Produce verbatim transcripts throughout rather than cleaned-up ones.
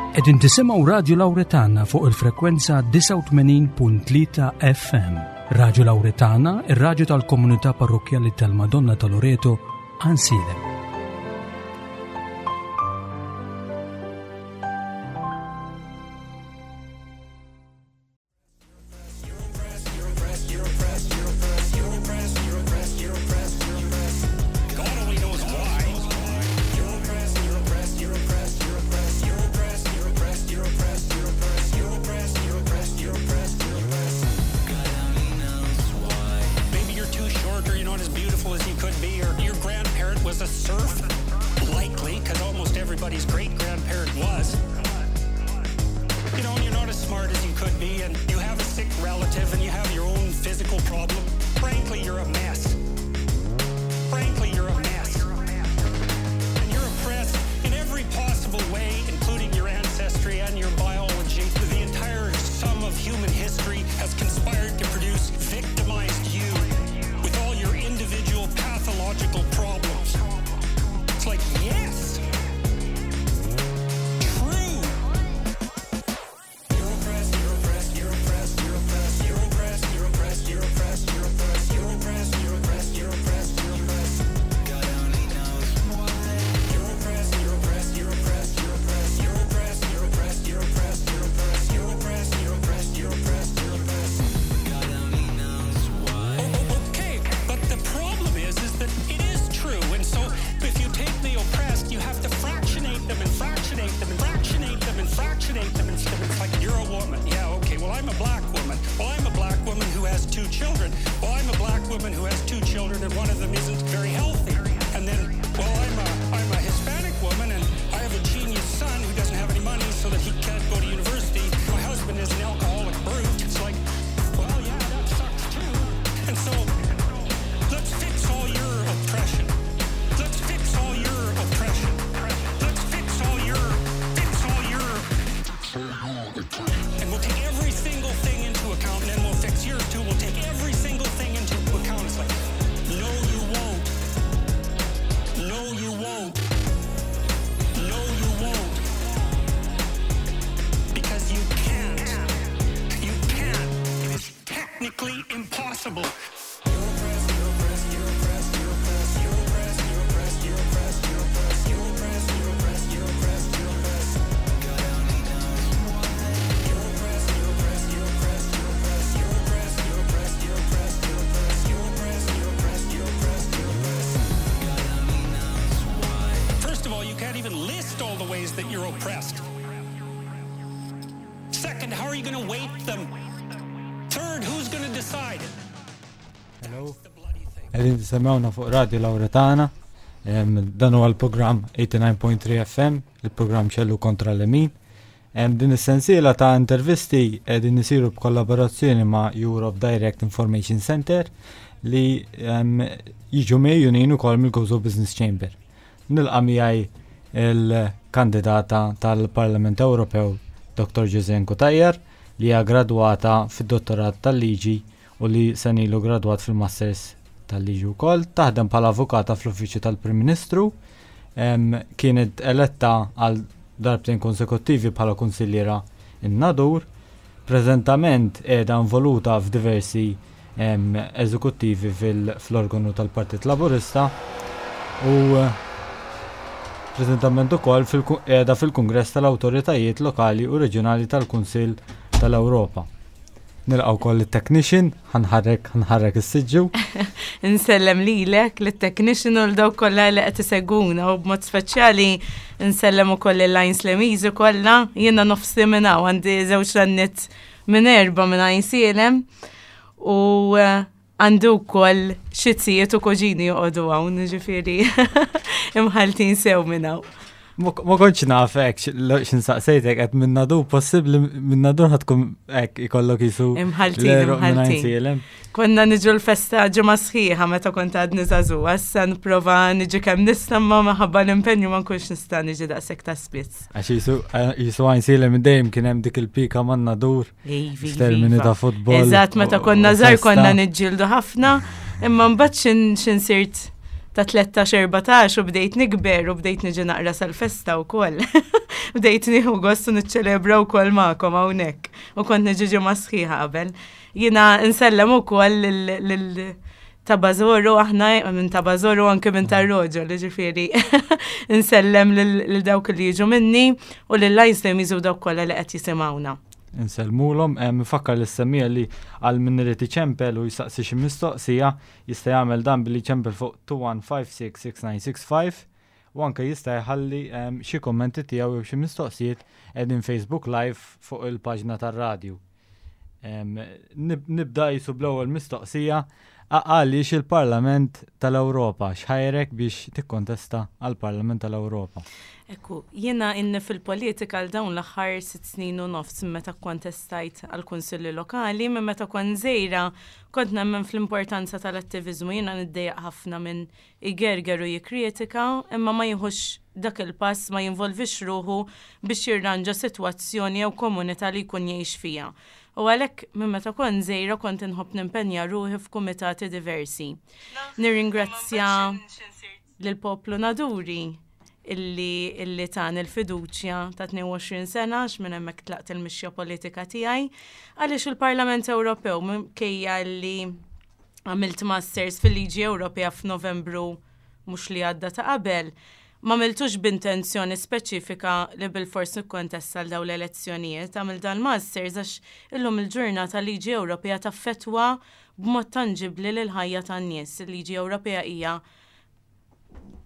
Qegħdin tisimgħu Radio Lauretana fuq il-frekwenza disgħa u tmenin punt tlieta F M. Radio Lauretana, ir-radju tal-komunità parrokjali tal-Madonna ta' Loreto, Għajnsielem. God only knows why. You're oppressed, you're oppressed, you're oppressed, you're oppressed, you're oppressed, you're oppressed, you're oppressed, you're oppressed, you're oppressed, you're oppressed, you're oppressed, you're oppressed. God only knows why. Maybe you're too short or you're not as beautiful as you could be, or your grandparent was a serf. Likely, because almost everybody's great grandparent was. You know, and you're not as smart as you could be, and you have a sick relative, and you have your own physical problem. Frankly, you're a mess. Frankly, you're a mess. And you're oppressed in every possible way, including your ancestry and your biology. The entire sum of human history has conspired to produce victimized you with all your individual pathological problems. It's like, yes! True! You're oppressed, you're oppressed, you're oppressed, you're oppressed, you're oppressed, you're oppressed, you're oppressed, you're oppressed, you're oppressed, you're oppressed, you're oppressed, you're oppressed. God only knows why. You're oppressed, you're oppressed, you're oppressed, you're oppressed, you're oppressed, you're oppressed, you're oppressed, you're oppressed, you're oppressed, you're oppressed, you're oppressed, you're oppressed. God only knows why. Okay, but the problem is, is that it is true, and so if you take the oppressed, you have to fractionate them and fractionate them and fractionate them and fractionate them, and it's like, you're a woman. Yeah, okay. Well, I'm a black woman. Well, I'm a black woman who has two children. Well, I'm a black woman who has two children, and one of them isn't very healthy. And then, well, I'm a I'm a Hispanic woman, and I have a genius son who doesn't have any money, so that he can't go to university. My husband is an alcoholic brute. It's like, well, yeah, that sucks too. And so, let's fix all your oppression. Let's fix all your oppression. Let's fix all your, fix all your, and we'll take every single thing into account, and then we'll fix yours too. We'll take every single thing into account. It's like, no, you won't. No, you won't. No, you won't. Because you can't. You can't. It is technically impossible. You're oppressed, you're oppressed, you're oppressed, you're oppressed, you're oppressed, you're oppressed, you're oppressed, you're oppressed, you're oppressed, you're oppressed, you're oppressed, you're oppressed. God only knows why. You're oppressed, you're oppressed, you're oppressed, you're oppressed, you're oppressed, you're oppressed, you're oppressed, you're oppressed, you're oppressed, you're oppressed, you're oppressed, you're oppressed. God only knows why. First of all, you can't even list all the ways that you're oppressed. Second, how are you going to weight them? Third, who's going to decide? Hello. Qegħdin tisimgħuna fuq Radio Lauretana. Em, Dan huwa l-programm eighty-nine point three F M, il-programm Xellug kontra Lemin. Em, Din is-sensiela ta' intervisti qegħdin isiru b'kollaborazzjoni ma' Europe Direct Information Center li em, jiġu megħjunin ukoll mill-Gozo Business Chamber. Nilqa' miegħi il-kandidata tal-Parlament Ewropew Doctor Josianne Cutajar, li hija gradwata fid-dottorat tal-liġi u li sena ilu gradwat fil-Masters tal-liġi wkoll, taħdem bħala avukata fl-Uffiċċju tal-Prim Ministru, em, kienet eletta għal darbtejn konsekuttivi bħala kunsilliera in-Nadur, preżentament qiegħda involuta f'diversi em, eżekuttivi fil-organu tal-Partit Laburista u eh, preżentament ukoll fil- qiegħda fil-Kungress tal-Awtoritajiet Lokali u Reġjonali tal-Kunsill tal-Ewropa. Nilqgħu wkoll it-technician, ħa nħarrek ħa nħarrek is-siġġu. Insellem lilek, lit-technician u l-dawk kollha li qed isegwuna, u b'mod speċjali nsellem ukoll il-Għajnslemiżi kollha. Jiena nofsi minn hawn, għandi żewġ nanniet minn erba' minn Għajnsielem u eh, għandu wkoll xi zijiet u kuġini joqogħdu hawn, ġifieri imħaltin sew minn hawn. Ma ma kontx naf hekk x'insaqsejtek qed minn Nadur, possibbli minn Nadur ħa tkun hekk ikollok jisu Imħaltin, l-għeruq minn imħaltin. Għajnsielem. Konna niġu l-festa ġimgħa sħiħa meta kont għadni żagħżugħa, issa nipprova niġi kemm nista', ma minħabba l-impenju ma nkunx nista' niġi daqshekk ta' spiss. Għax jisu jisu Għajnsielem minn dejjem kien hemm dik il-pika man Nadur Ivi, f'termini iva. ta' futbol. Eżatt, meta u- konna u żgħar festa. konna niġġieldu ħafna, imma mbagħad xin xin sirt ta' tlettax erbatax u bdejt nikber u bdejt niġi naqra sal-festa wkoll. Bdejt nieħu gost u niċċelebra wkoll magħkom hawnhekk. U kont niġi ġimgħa sħiħa qabel. Jiena nsellem ukoll lil ta' Bażoru, aħna minn ta' Bażoru, anke minn ta' Roġo, li ġifieri nsellem lil dawk li jiġu minni u lil lajsem jiżu dawk kollha li qed jisimgħuna. Insellmulhom, nfakkar lis-semmiegħa li għal min irid iċempel u jistaqsi xi mistoqsija jista' jagħmel dan billi ċempel fuq two one five six six nine six five u anke jista' jħalli xi kommenti tiegħu jew xi mistoqsijiet qegħdin Facebook Live fuq il-paġna tar-radju. Nibda jisu bl-ewwel mistoqsija: għaliex il-Parlament tal-Ewropa? X'ħajrek biex tikkontesta għall-Parlament tal-Ewropa? Ekku, jiena inni fil-politika għal dawn l-aħħar sitt snin u nofs meta kontestajt għal kunsilli lokali. Minn meta kont żgħira kont nemmen fl-importanza tal-attivizmu. Jiena niddejjaq ħafna minn igerger u jikkritika, imma ma jieħux dak il-pass, ma jinvolvix ruħu biex jirranġa sitwazzjoni jew komunità li jkun jgħix fija. U għalhekk minn meta kont żgħira kont inħobb nimpenja ruħi f'kumitati diversi. Nirringrazzja lill-poplu Naduri illi illi tani il-fiduċja ta' tnejn u għoxrin sena, għax minn hemmhekk tlaqt il-mixja politika tiegħi. Għaliex il-Parlament Ewropew? Minkejja li għamilt Masters fil-Liġi Ewropea f'Novembru mhux li għadda, ta' qabel, ma għamiltux b'intenzjoni speċifika li bil-fors nikkontesta għal dawn l-elezzjonijiet. Għamilt dal-Masters għax illum il-ġurnata liġi Ewropea taffetwa b'mod tangibli l-ħajja tan-nies. Il-liġi Ewropea hija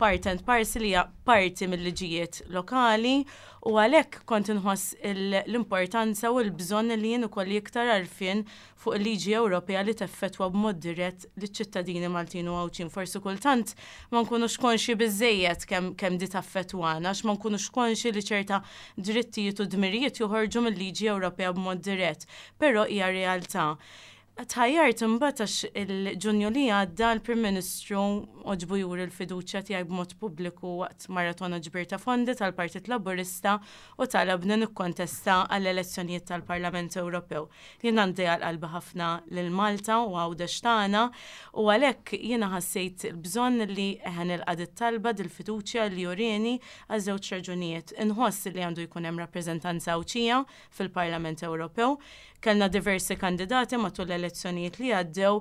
part and parcel, hija parti mill-liġijiet lokali u għalhekk kont inħoss l-importanza u l-bżonn li jien ukoll iktar għarfien fuq il-liġi Ewropea li teffettwa b'mod dirett liċ-ċittadini Maltin u Għawdxin. Forsi kultant ma nkunux konxi biżejjed kemm kemm di taffettwana, għax ma nkunux konxi li ċerta drittijiet u dmirijiet joħorġu mill-liġi Ewropea b'mod dirett, però hija realtà. Tħajjart imbagħad għax il-Ġunju li għadda l-Prim Ministru għoġbu juri l-fiduċja tiegħi b'mod pubbliku waqt maratona ġbir ta' fondi tal-Partit Laburista u talabni nikkontesta għall-elezzjonijiet tal-Parlament Ewropew. Jien għandi għal qalbi ħafna lil Malta u Għawdex tagħna u għalhekk jiena ħassejt il-bżonn li eħen nilqa' talba dil-fiduċja li urieni għal żewġ raġunijiet. Inħoss li għandu jkun hemm rappreżentanza Għawdxija fil-Parlament Ewropew. Kellna diversi kandidati matul l-elezzjonijiet li għaddew.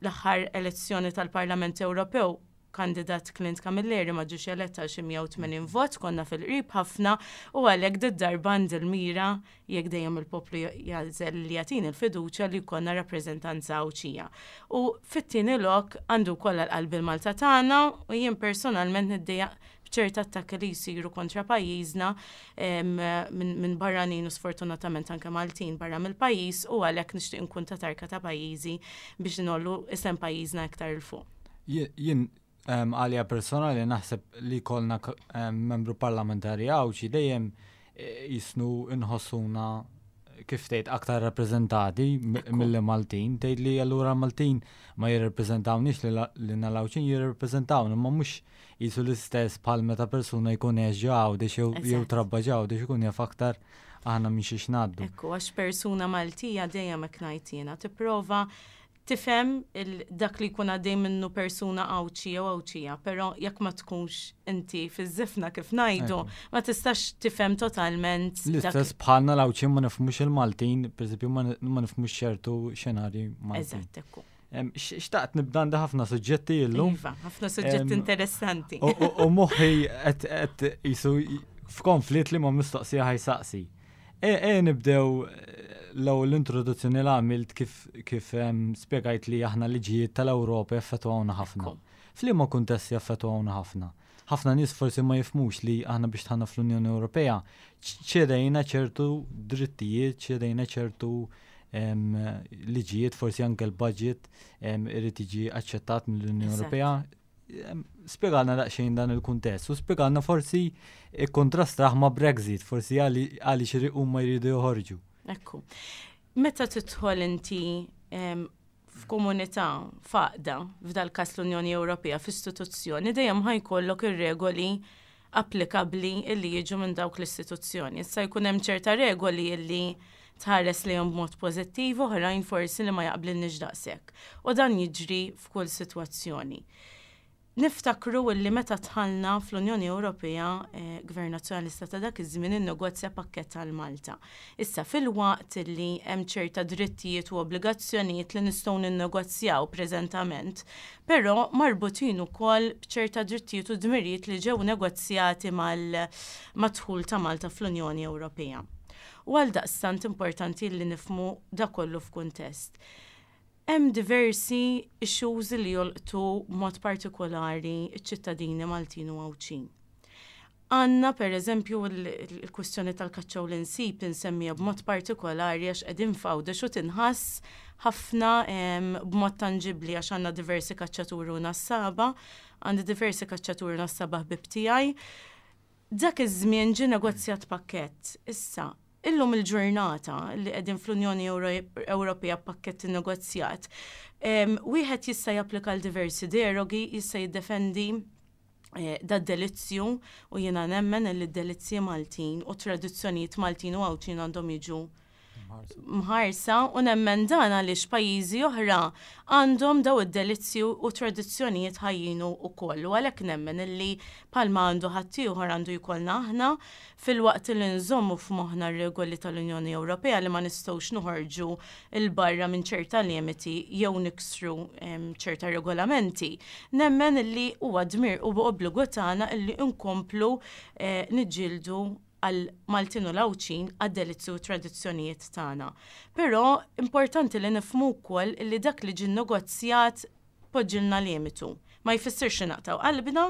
L-aħħar elezzjoni tal-Parlament Ewropew, kandidat Clint Camilleri ma ġiex elett għal xi mija u tmenin vot, konna fil-qrib ħafna u għalhekk did-darba għandi l-mira, jekk dejjem il-poplu jagħżel li jagħtini l-fiduċja, li jkollna rappreżentanza Għawdxija. U fit-tieni lok għandu wkoll għal qalbi l-Malta tagħna u jien personalment niddejjaq b'ċerta attakki li jsiru kontra pajjiżna minn barranin u sfortunatament anke Maltin barra mill-pajjiż u għalhekk nixtieq nkun ta' tarka ta' pajjiżi biex ngħollu isem pajjiżna iktar 'il fuq. Jien għalija personali naħseb li kollna membru parlamentari Għawdxi dejjem e, jisnu inħossuna, kif tgħid, aktar rappreżentati mill Maltin. Tgħid li allura Maltin ma jirrepreżentawniex, li l-Għawdxin jirrepreżentawna, ma mhux jisu l-istess bħal meta persuna jkun għex Għawdex jew trabba Għawdex, ikun jaf aktar aħna minn xiex ngħaddu. Ekku, għax persuna Maltija dejjem hekk ngħid jiena tipprova tifhem dak li jkun għaddej minnu persuna Għawdxi jew Għawdxija, però jekk ma tkunx inti fiż-żifna, kif ngħidu, ma tistax tifhem totalment. L-istess bħalna l-Għawdxin ma nifhmux il-Maltin, per ma nifhmux ċertu xenarji Maltin. Eżatt, ekku. Xtaqt nibda, għandi ħafna suġġetti illum. Iva, ħafna suġġetti interessanti. U moħħi qed jisu f'konflitt li ma mistoqsija ħa jsaqsi. E, e nibdew l-ewwel l-introduzzjoni li għamilt, kif kif spjegajt li aħna liġijiet tal-Ewropa jaffettwawna ħafna. F'liema kuntest jaffettwawna ħafna? Ħafna nies forsi ma jifhmux li aħna biex dħalna fl-Unjoni Ewropea ċedejna ċertu drittijiet, ċedejna ċertu liġijiet, forsi anke l-budget irid jiġi aċċettat mill-Unjoni Ewropea. Spjegalna daqsxejn dan il-kuntest u spjegalna forsi ikkontrastraħ ma' Brexit, forsi għaliex huma jridu joħorġu. Ekku. Meta tidħol inti f'komunità, f'għaqda, f'dal kas l-Unjoni Ewropea, f'istituzzjoni, dejjem ħa jkollok ir-regoli applikabbli illi jiġu minn dawk l-istituzzjoni. Issa jkun hemm ċerta regoli illi tħares lejhom b'mod pożittiv, oħrajn forsi li ma jaqblilniex daqshekk. U dan jiġri f'kull sitwazzjoni. Niftakru li meta dħalna fl-Unjoni Ewropea, eh, Gvern Nazzjonalista ta' dak iż-żmien innegozja pakkett għal Malta. Issa, filwaqt li hemm ċerta drittijiet u obbligazzjonijiet li nistgħu ninnegozjaw preżentament, però marbutin ukoll b'ċerta drittijiet u dmirijiet li ġew negozjati mal-dħul ta' Malta fl-Unjoni Ewropea. U għal daqstant importanti li nifhmu da kollu f'kuntest. Hemm diversi issues li jolqtu mod partikolari iċ-ċittadini Maltin u Għawdxin. Għandna, per eżempju, il-kwestjoni tal-kaċċa u l-insib, insemmija b'mod partikolari għax qegħdin f'Għawdex u tinħass ħafna b'mod tangibli, għax għandna diversi kaċċaturi u nassaba, għandi diversi kaċċaturi u nassaba ħbib tiegħi. Dak iż-żmien ġie negozjat pakkett. Issa, illum il-ġurnata li qegħdin fl-Unjoni Ewropea, pakkett negozjat, wieħed jista' japplika l diversi derogi, jista' jiddefendi eh, da delizzju, u jiena nemmen li d-delizzji Maltin u tradizzjonijiet Maltin u Għawdxin għandhom jiġu mħarsa, u nemmen dan għaliex pajjiżi oħra għandhom daw id-delizzju u tradizzjonijiet ħajjin ukoll. U għalhekk nemmen illi bħalma għandu ħaddieħor għandu jkollna aħna, filwaqt li nżommu f'moħħna r-regoli tal-Unjoni Ewropea li ma nistgħux noħorġu 'il barra minn ċerta limiti jew niksru ċerta regolamenti. Nemmen illi huwa dmir u obbligu tagħna illi nkomplu eh, niġġieldu għal Maltin u l-Għawdxin, għad-delizzju u tradizzjonijiet tagħna. Però importanti li nifhmu wkoll li dak li ġie negozjat poġġilna limitu. Ma jfissirx li naqtaw qalbna,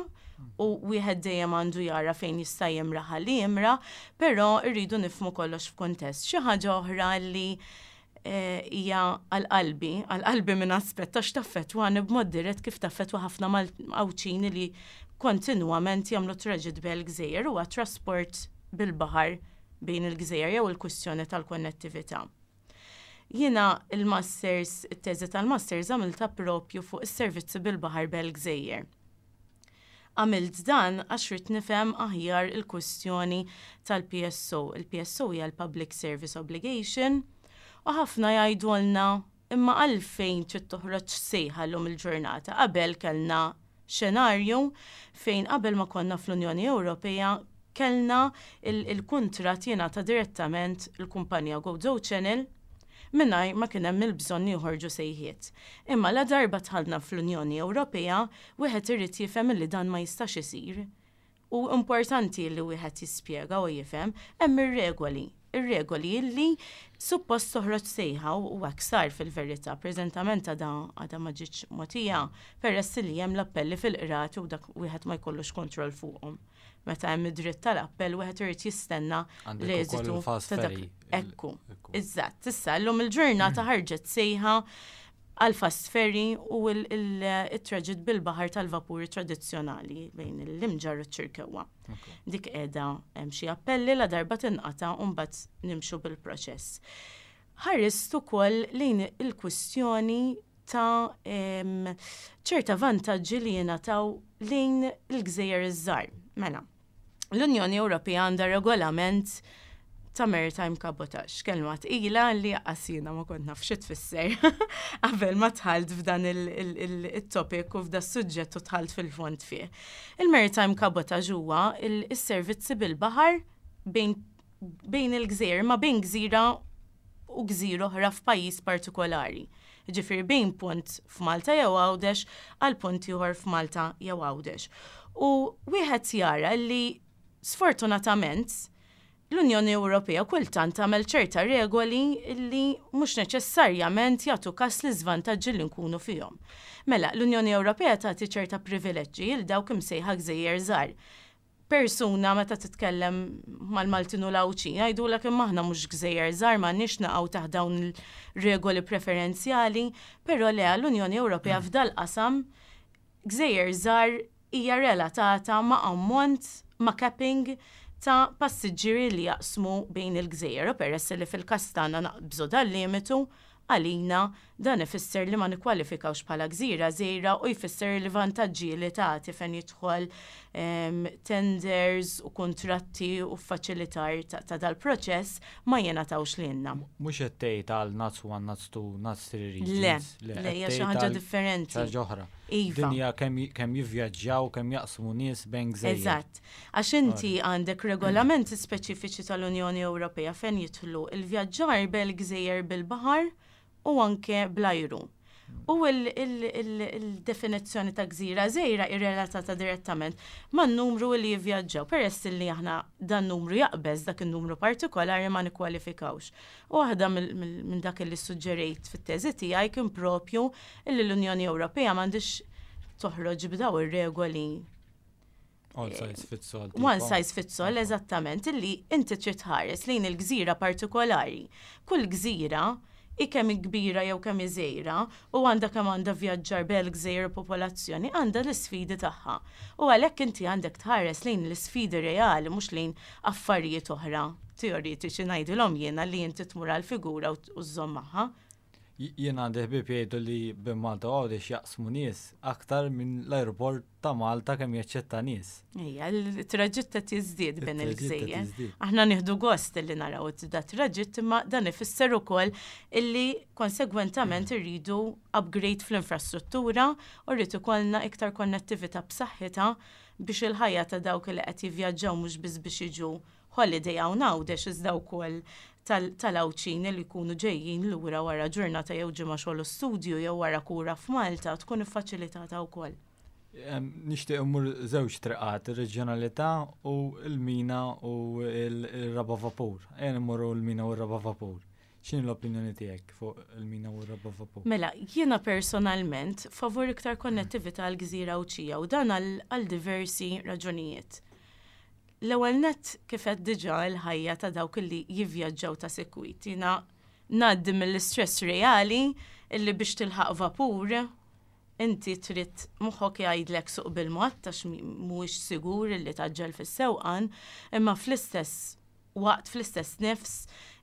u wieħed dejjem għandu jara fejn jista' jimraħ li jimra, però rridu nifhmu kollox f'kuntest. Xi ħaġa oħra li eh, hija għal-qalbi, għal-qalbi minn aspett għax taffettwani b'mod dirett kif taffettwa ħafna Mal-Għawdxin li kontinwament jagħmlu traġitt bejn il-gżejjer, huwa trasport bil-baħar bejn il-gżejjer jew il-kwistjoni tal-konnettività. Jiena il-masters, it-teżi tal-masters għamilta propju fuq is-servizzi bil-baħar bil-gżejjer. Għamilt dan għax ridt nifhem aħjar il-kwistjoni tal-P S O. Il-P S O hija l-Public Service Obligation, u ħafna jgħidulna, imma għalfejn trid toħroġ sejħa llum il-ġurnata? Qabel kellna xenarju fejn qabel ma konna fl-Unjoni Ewropea kellna il-kontrat jingħata direttament il-kumpanija Gozo Channel mingħajr ma kien hemm il-bżonn joħorġu sejħiet. Imma la darba dħalna fl-Unjoni Ewropea, wieħed irid jifhem li dan ma jistax isir. U importanti li wieħed jispjega u jifhem hemm ir-regoli. Ir-regoli li suppost toħroġ sejħa, u hekk sar fil-verità, preżentament għadha għadha ma ġietx mogħtija peress li hemm l-appelli fil-qrati u dak wieħed ma jkollux kontroll fuqhom. Meta hemm id-dritt tal-appell, wieħed irid jistenna l-eżitu ta' dak. Ekku. Eżatt, issa llum il-ġurnata ħarġet sejħa għal fast ferry u il-traġitt bil-baħar tal-vapuri tradizzjonali bejn l-Imġarr u ċ-Ċirkewwa. Dik qiegħda hemm xi appelli, la darba tinqata' u mbagħad nimxu bil-proċess. Ħarist ukoll lejn il-kwistjoni ta' ċerta vantaġġi li jingħataw lejn il-gżejjer iż-żgħar. Mela, l-Unjoni Ewropea għandha regolament ta' maritime cabotage, kelma tqila li għasina ma kont naf xi tfisser qabel ma dħalt f'dan il-topic u f'da suġġett u dħalt fil-fond fih. Il-maritime cabotage huwa il-servizzi bil-baħar bejn bejn il-gżejjer, ma bejn gżira u gżira oħra f'pajjiż partikolari. Ġifieri bejn punt f'Malta jew Għawdex għal punt ieħor f'Malta jew Għawdex. U wieħed jara li sfortunatament l-Unjoni Ewropea kultant tagħmel ċerta regoli li mhux neċessarjament jagħtu kas l-iżvantaġġi li nkunu fihom. Mela, l-Unjoni Ewropea tagħti ċerta privileġġi lil dawk imsejħa gżejjer żgħar. Persuna meta titkellem mal-Maltin u l-Għawdxin jgħidulek, imma aħna mhux gżejjer żgħar, m'għandniex naqgħu taħt dawn il-regoli preferenzjali, però le, l-Unjoni Ewropea f'dal-qasam gżejjer żgħar hija relatata ma' ammont, ma' capping ta' passiġġieri li jaqsmu bejn il-gżejjer, u peress li fil-każ tagħna naqbżu dal-limitu, għalina dan ifisser li ma nikkwalifikawx bħala gżira żgħira u jfisser li vantaġġi li tagħti fejn jidħol em, tenders u kontratti u faċilitar ta', ta dal-proċess ma jingħatawx lilna. Mhux qed tgħid għal NUTS one, NUTS two, NUTS three Le, regions. Le, hija xi ħaġa differenti. Xi ħaġa oħra. Iva. Dinja kemm kemm jivvjaġġaw, kemm jaqsmu nies bejn gżejjer. Eżatt. Għax inti għandek regolamenti speċifiċi tal-Unjoni Ewropea fejn jidħlu il-vjaġġar bil-gżejjer bil-baħar u anke bl-ajru. U il-definizzjoni ta' gżira żgħira irrelatata direttament man-numru li jivvjaġġaw. Peress li aħna dan numru jaqbeż dak il-numru partikolari, ma nikkwalifikawx. U waħda minn dak li suġġerejt fit-teżi tiegħi kien propju illi l-Unjoni Ewropea m'għandix toħroġ b'daw ir-regoli All size fits all. One size fits all, eżattament, illi inti trid tħares lejn il-gżira partikolari. Kull gżira, kemm kbira jew kemm żgħira u għandha kemm għandha vjaġġar bel gżejjer popolazzjoni, għandha l-isfidi tagħha. U għalhekk inti għandek tħares lejn l-isfidi reali, mhux lejn affarijiet oħra teoretiċi, ngħidilhom jiena, li inti tmur għal figura u żżomm magħha. Jien għandi ħbieb jgħidu li bejn Malta u Għawdex jaqsmu nies aktar minn l-aeroport ta' Malta kemm jaċċetta nies. Ejja, il-traġitt qed jiżdied bejn il-gżejjer. Aħna nieħdu gost li naraw da traġitt, imma dan ifisser ukoll illi konsegwentament irridu upgrade fl-infrastruttura u rrid ikollna iktar konnettività b'saħħitha biex il-ħajja ta' dawk li qed jivvjaġġaw, mhux biss biex jiġu holiday hawn Għawdex, iżda wkoll tal-Għawdxin li jkunu ġejjin lura wara ġurnata jew ġimgħa xogħol studju jew wara kura f'Malta, tkun iffaċilitata wkoll. Nixtieq immur żewġ triqat, ir-reġjonalità u l-mina u l-raba vapur. Ejja immorru l-mina u r-raba vapur. X'inhi l-opinjoni tiegħek fuq il-mina u r-raba vapur? Mela, jiena personalment favur iktar konnettività għal gżira Għawdxija u dan għal diversi raġunijiet. L-ewwel net, kif qed diġà, l-ħajja ta' dawk li jivvjaġġaw ta' sikwit. Jiena ngħaddi mill-istress reali illi biex tilħaq vapur inti trid moħħok jgħidlek suq bil-mod għax mhuwiex sigur illi tgħaġġel fis-sewqan, imma fl-istess waqt, fl-istess nifs,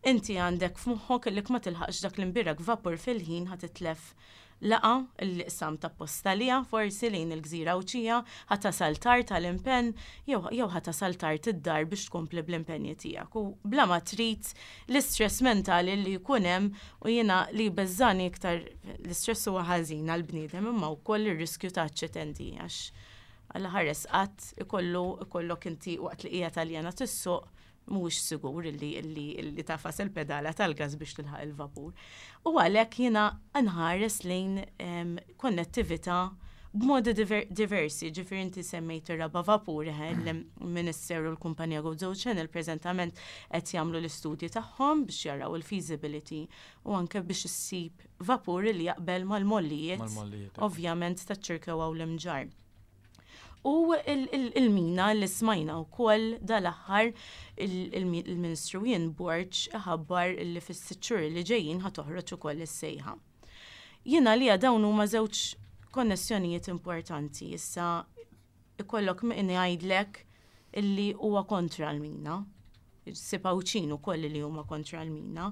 inti għandek f'moħħok illi ma tilħaqx dak l-imbierek vapur fil-ħin, ħa titlef laqgħa illi qsam ta' postalija forsi lejn il-gżira Għawdxija, ħa tasal tard tal-impenn jew jew ħa tasal tard id-dar biex tkompli bl-impenji tiegħek. U bla ma trid, l-istress mentali li jkun hemm, u jiena li beżżagħni iktar, l-istress huwa ħażin għall-bniedem, imma wkoll ir-riskju ta' aċċidenti, għax Alla ħares qatt ikollu ikollok inti waqt li qiegħed taljana tissuq, mhuwiex sigur illi illi illi tagħfas il-pedala tal-gas biex tilħaq il-vapur. U għalhekk jiena nħares lejn em, konnettività b'modi diver diversi, ġifieri inti semmejt ir-raba vapur, eh, il-Ministeru u l-Kumpanija Gozo Channel preżentament qed jagħmlu l-istudji tagħhom biex jaraw il-feasibility u anke biex issib vapur li jaqbel mal-mollijiet, Mal-mollijiet. ovvjament, taċ-Ċirkewwa u l-Imġarr. U il-mina li smajna wkoll dal-aħħar, il-Ministru Ian Borg ħabbar li fis-sitt xhur li ġejjin ħa toħroġ ukoll is-sejħa. Jiena li dawn huma żewġ konnessjonijiet importanti. Issa ikollok min jgħidlek illi huwa kontra l-mina. Issib Għawdxin ukoll li huma kontra l-mina.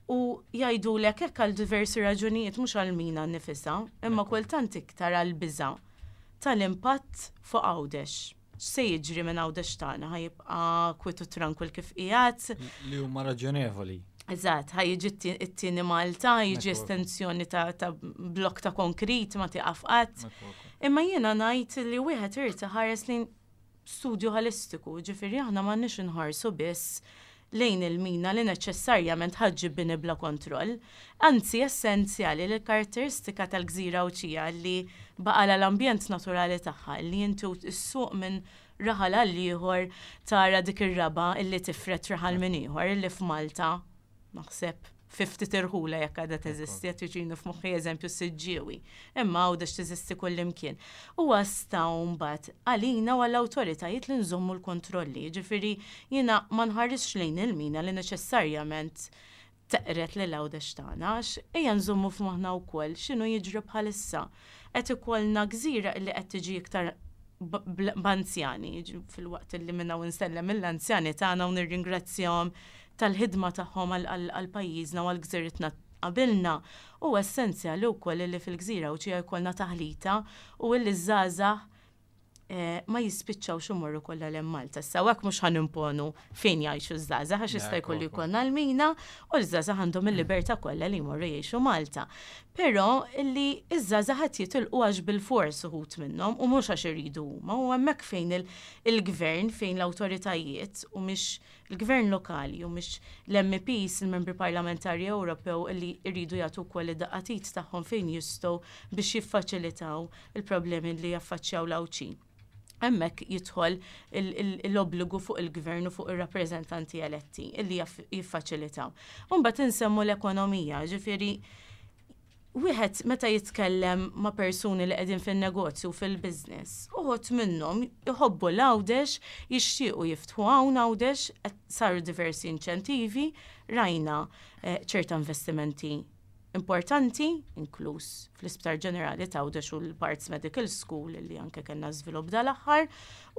U jgħidulek hekk għal diversi raġunijiet, mhux għal-mina nifisha, imma kultant iktar għal biża' tal-impatt fuq Għawdex. X'se jiġri minn Għawdex tagħna? Ħa jibqa' kwiet u tranquil kif qiegħed? Li huma raġonevoli. Eżatt, ħa jiġi t-tieni Malta, jiġi Ekku. estensjoni ta', ta' blok ta' konkrit ma tiqaf qatt. Ekku, ekku. Imma jiena ngħid li wieħed irid iħares lejn studju ħolistiku, ġifieri aħna m'għandniex inħarsu biss lejn il-mina li neċessarjament ħa ġġib bini bla kontroll. Anzi, essenzjali li l-karatteristika tal-gżira Għawdxija li baqala l-ambjent naturali tagħha, li inti ssuq minn raħal għal ieħor tara dik ir-raba illi tifred raħal minn ieħor, illi f'Malta naħseb fifty tirħula jekk għadha teżisti, qed jiġini f'moħħi eżempju Siġġiewi. Imma Għawdex teżisti kullimkien. U għasta mbagħad għalina u għall-awtoritajiet li nżommu l-kontrolli. Ġifieri jiena ma nħarisx lejn il-mina li neċessarjament teqred lil Għawdex tagħna, għax ejja nżommu f'moħħna wkoll x'inhu jiġri bħalissa. Qed ikollna gżira li qed tiġi iktar b'anzjani, fil-waqt li minna u nsellem mill-anzjani tagħna u nirringrazzjahom tal-ħidma tagħhom għal pajjiżna u għal gżiritna qabilna. U essenzjali wkoll li fil-gżira Għawdxija jkollna taħlita u li żgħażagħ eh, ma jispiċċawx imorru kollha 'l Malta. Issa hekk mhux ħa nimponu fejn jgħixu ż-żgħażagħ, għax jista' jkollu jkollna l-mina u l-żgħażagħ għandhom il-libertà kollha li jmorru jgħixu Malta. Però illi iż-żgħażagħ qed jitilqu għax bil-fors uħud minnhom u mhux għax iridu huma, u hemmhekk fejn il-gvern, fejn l-awtoritajiet u mhix il-gvern lokali u mhix l-M Ps, il-membri parlamentari Ewropew, illi jridu jagħtu wkoll id-daqqa t'id tagħhom fejn jistgħu biex jiffaċilitaw il-problemi li jaffaċċjaw l-Għawdxin. Hemmhekk jidħol l-obbligu fuq il-gvern u fuq ir-rappreżentanti eletti illi jiffaċilitaw. Mbagħad insemmu l-ekonomija, ġifieri wieħed meta jitkellem ma' persuni li qegħdin fin-negozju, fil-business, uħud minnhom jħobbu l-Għawdex, jixtiequ jiftħu hawn Għawdex, saru diversi inċentivi, rajna eh, ċerta investimenti importanti, inkluż fl-Isptar Ġenerali ta' Għawdex u l-Barts Medical School li anke kellna żvilupp dal-aħħar,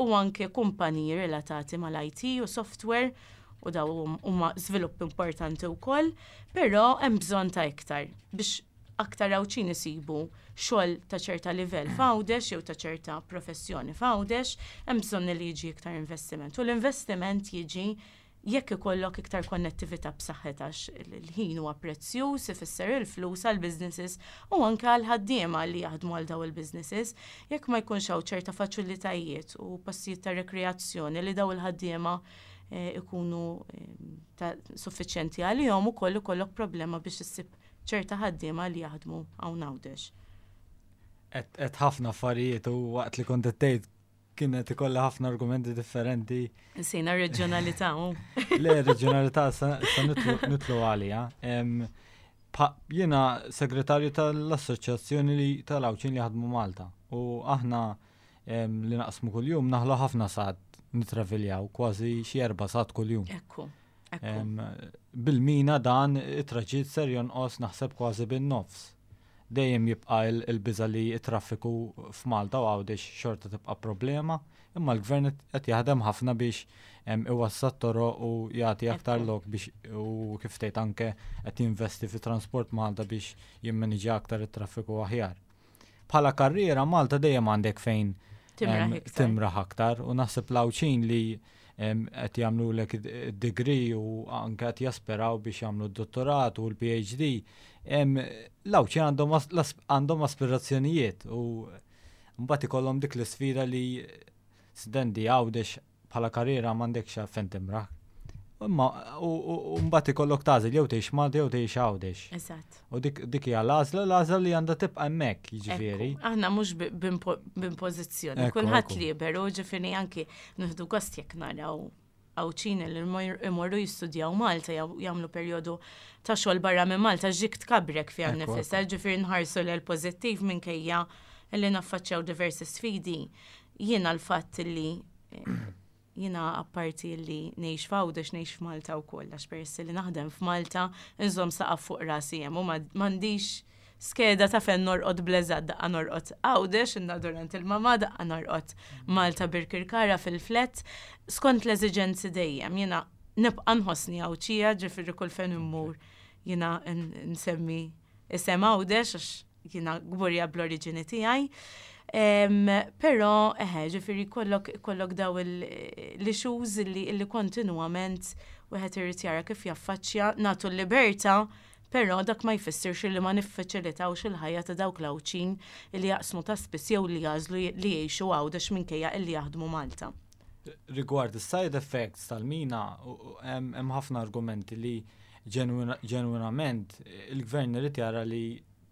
u anke kumpaniji relatati mal-I T u software, u daw huma żvilupp importanti wkoll, però hemm bżonn ta' iktar biex aktar Għawdxin isibu xogħol ta' ċerta livell f'Għawdex jew ta' ċerta professjoni f'Għawdex, hemm bżonn li jiġi iktar investiment. U l-investiment jiġi jekk ikollok iktar konnettività b'saħħitha, għax il-ħin huwa prezzjuż, ifisser il-flus għal businesses u anke għal ħaddiema li jaħdmu għal daw il-businesses. Jekk ma jkunx hawn ċerta faċilitajiet u postijiet ta' rekreazzjoni li daw il-ħaddiema eh, ikunu eh, suffiċjenti għalihom ukoll, ikollok problema biex issib ċerta ħaddiema li jaħdmu hawn Għawdex. Et ħafna affarijiet u waqt li kont tgħid kienet ikollha ħafna argumenti differenti. Nsejna reġjonalità. Le, reġjonalità sa nidħlu għalija. Jiena segretarju tal-Assoċjazzjoni li tal-Għawdxin li jaħdmu Malta u aħna li naqsmu kull-jum naħlu ħafna sigħat nitraviljaw, kważi xi erba' sigħat kull-jum. Ekku. Bil-mina dan it-traġitt ser jonqos, naħseb, kważi bin-nofs. Dejjem jibqa' il-biża li t-traffiku f'Malta u Għawdex xorta tibqa' problema, imma l-gvern qed jaħdem ħafna biex iwassa' toroq u jagħti aktar lok biex, u kif tgħid, anke qed jinvesti fi Transport Malta biex jimmaniġja aktar it-traffiku aħjar. Bħala karriera Malta dejjem għandek fejn timraħ aktar u naħseb l-Għawdxin li qed jagħmlu lek degree u anke qed jasperaw biex jagħmlu d-dottorat u l-P H D. L-Għawdxin għandhom aspirazzjonijiet u mbagħad ikollhom dik l-isfida li sidendi Għawdex bħala karriera m'għandekx fejn timraħ. Imma u mbagħad ikollok tagħżel jew tgħix Malta jew tgħix Għawdex. Eżatt. U dik dik hija l-għażla, l-għażla li għandha tibqa' hemmhekk, jiġifieri. Aħna mhux b'impożizzjoni, kulħadd liberu, ġifieri anki nieħdu gost jekk naraw Għawdxin li imorru jistudjaw Malta jew jagħmlu perjodu ta' xogħol barra minn Malta, ġik tkabrek fiha nnifisha, ġifieri nħarsu l pożittiv minkejja li naffaċċjaw diversi sfidi. Jiena l-fatt li eh, jiena apparti li ngħix f'Għawdex, ngħix f'Malta wkoll, għax peress li naħdem f'Malta nżomm saqaf fuq rasi hemm u m'għandix skeda ta' fejn norqod bl-eżatt, daqqa norqod Għawdex, inna durant il-mama, daqqa norqod Malta Birkirkara fil-flat, skont l-eżiġenzi dejjem. Jiena nibqa' nħossni Għawdxija, ġifieri kull fejn immur jiena nsemmi isem Għawdex għax jiena kburija bl-oriġini tiegħi. Però, eħe, ġifieri kollok, kollok daw l-issues li, li kontinuament wieħed irid jara kif jaffaċċja. Nagħtu l-libertà, però dak ma jfissirx li ma niffaċilitawx il-ħajja ta' dawk l-Għawdxin li jaqsmu ta' spiss jew li jagħżlu li jgħixu Għawdex minkejja illi jaħdmu Malta. Rigward is-side effects tal-mina, hemm ħafna argumenti li ġenwinament il-gvern irid jara li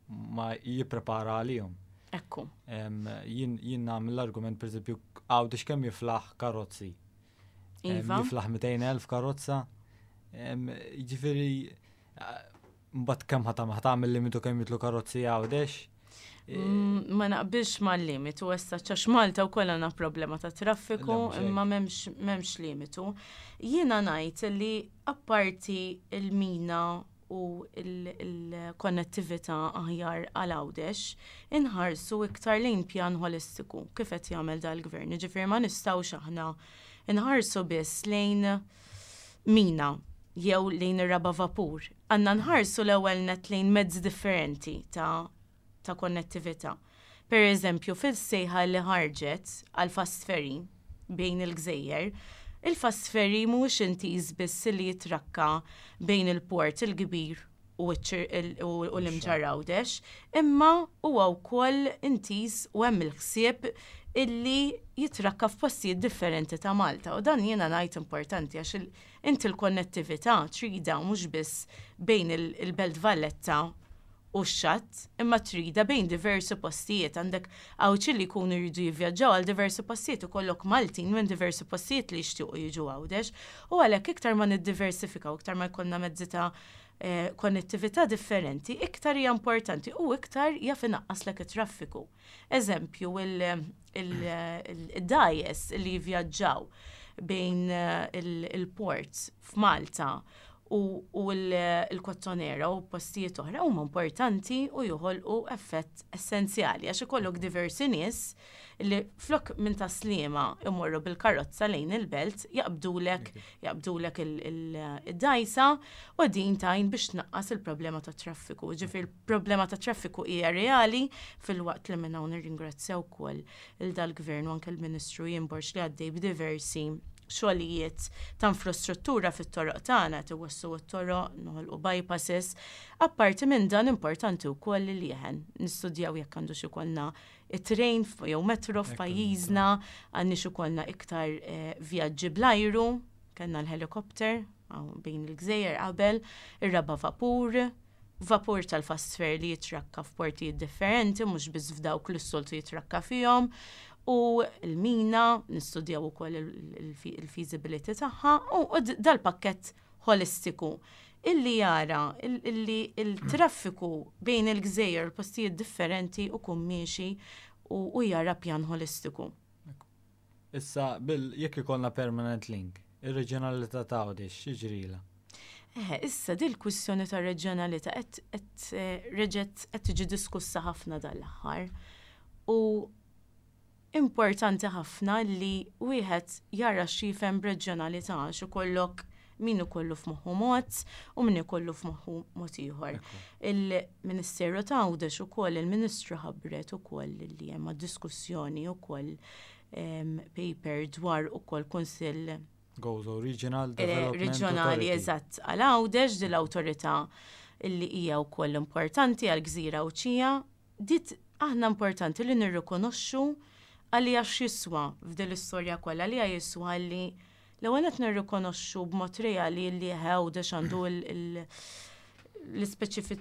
ma jipprepara għalihom. Ekku. Jien jien nagħmel l-argument, pereżempju, Għawdex kemm jiflaħ karozzi? Iva. Jiflaħ mitejn elf karozza. Jiġifieri mbagħad kemm ħa tagħmel limitu kemm jidħlu karozzi Għawdex? Mm, ma naqbilx mal-limitu, essa għax Malta wkoll għandna problema ta' traffiku, imma m'hemmx limitu. Jiena ngħid li apparti il-mina u il-konnettività aħjar għal Għawdex, inħarsu iktar lejn pjan holistiku kif qed jagħmel dal-gvern. Ġifieri ma nistgħux aħna inħarsu biss lejn mina jew lejn ir-raba' vapur. Għandna nħarsu l-ewwel net lejn mezzi differenti ta' ta' konnettività. Per eżempju, fil-sejħa li ħarġet għal fast ferry bejn il-gżejjer, il-fast ferry mhuwiex intiż biss li jitrakka bejn il-port il-kbir u l-Imġarr Għawdex, imma huwa wkoll intiż u hemm il-ħsieb illi jitrakka f'postijiet differenti ta' Malta. U dan jiena ngħid importanti għax inti l-konnettività trida mhux biss bejn il-Belt Valletta u x-xatt, imma trida bejn diversi postijiet. Għandek Għawdxin li jkunu jridu jivvjaġġaw għal diversi postijiet u kollok Maltin minn diversi postijiet li jixtiequ jiġu Għawdex. U għalhekk iktar ma niddiversifikaw, iktar ma jkollna mezzi ta' eh, konnettività differenti, iktar hija importanti u iktar jaf inaqqaslek it-traffiku. Eżempju, il-dgħajjes li jivvjaġġaw bejn eh, il-port f'Malta u l-Kottonera u postijiet oħra huma importanti u joħolqu effett essenzjali għax ikollok diversi nies li flok minn Tas-Sliema imorru bil-karozza lejn il-belt jaqbdulek jaqbdulek il-dgħajsa u din tgħin biex tnaqqas il-problema ta' traffiku. Ġifieri il-problema ta' traffiku hija reali, filwaqt li minn hawn nirringrazzjaw ukoll il dal-gvern u anke l-Ministru Ian Borg li għaddej b'diversi xogħlijiet ta' infrastruttura fit-toroq tagħna, tiwassu t-toroq, noħolqu bypasses. Apparti minn dan, importanti wkoll li jeħen nistudjaw jekk għandux ikollna it-train jew metro f'pajjiżna, għandniex ikollna iktar eh, vjaġġi bl-ajru, kellna l-helikopter bejn il-gżejjer qabel, ir-raba vapur, vapur tal-fast ferry li jitrakka f'portijiet differenti, mhux biss f'dawk li s-soltu jitrakka fihom, u l-mina, nistudjaw ukoll il-feasibility tagħha, u dal-pakkett holistiku illi jara illi il-traffiku bejn il-gżejjer, postijiet differenti u kummiexi u jara pjan holistiku. Issa, bil jekk ikollna permanent link, ir-reġjonalità ta' Għawdex x'jiġrilha? Eh, issa dil kwistjoni ta' reġjonalità qed eh, reġgħet qed tiġi diskussa ħafna dal-aħħar. U importanti ħafna li wieħed jara x'jifhem b'reġjonalità, għax ikollok min ikollu f'moħħu mod u min ikollu f'moħħu mod ieħor. Il-Ministeru ta' Għawdex ukoll, il-Ministru ħabbret ukoll li hemm diskussjoni ukoll paper dwar ukoll kunsill Gozo Regional eh, Development Reġjonali, eżatt, għal Għawdex, din l-awtorità illi hija wkoll importanti għal gżira Għawdxija. Dit aħna importanti li nirrikonoxxu għalija x'jiswa f'din l-istorja kollha, li jiswa li l-ewwel qed nirrikonoxxu b'mod reali li Għawdex għandu l-ispeċifi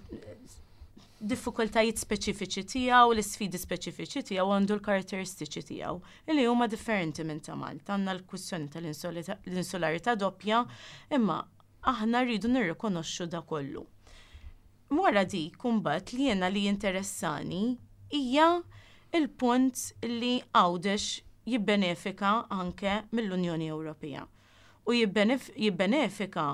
diffikultajiet speċifiċi tiegħu, l-isfidi speċifiċi tiegħu, għandu l-karatteristiċi tiegħu li huma differenti minn ta' Malta. Għandna l-kwistjoni tal-insularità doppja, imma aħna rridu nirrikonoxxu da kollu. Wara dik imbagħad li jiena li jinteressani hija il-punt li Għawdex jibbenefika anke mill-Unjoni Ewropea. U jibbenefika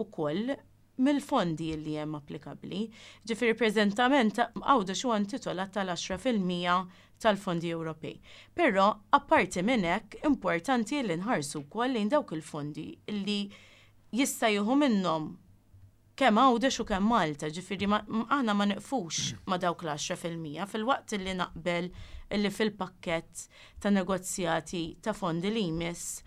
ukoll mill-fondi li hemm applikabbli. Ġifieri preżentament Għawdex huwa intitolat tal-għaxra fil-mija tal-fondi Ewropej. Però apparti minn hekk, importanti li nħarsu wkoll lejn dawk il-fondi li jista' jieħu minnhom kemm Għawdex u kemm Malta, ġifieri aħna ma neqfux ma dawk l-għaxra fil-mija, filwaqt li naqbel li fil-pakkett ta' negozjati ta' fondi li jmiss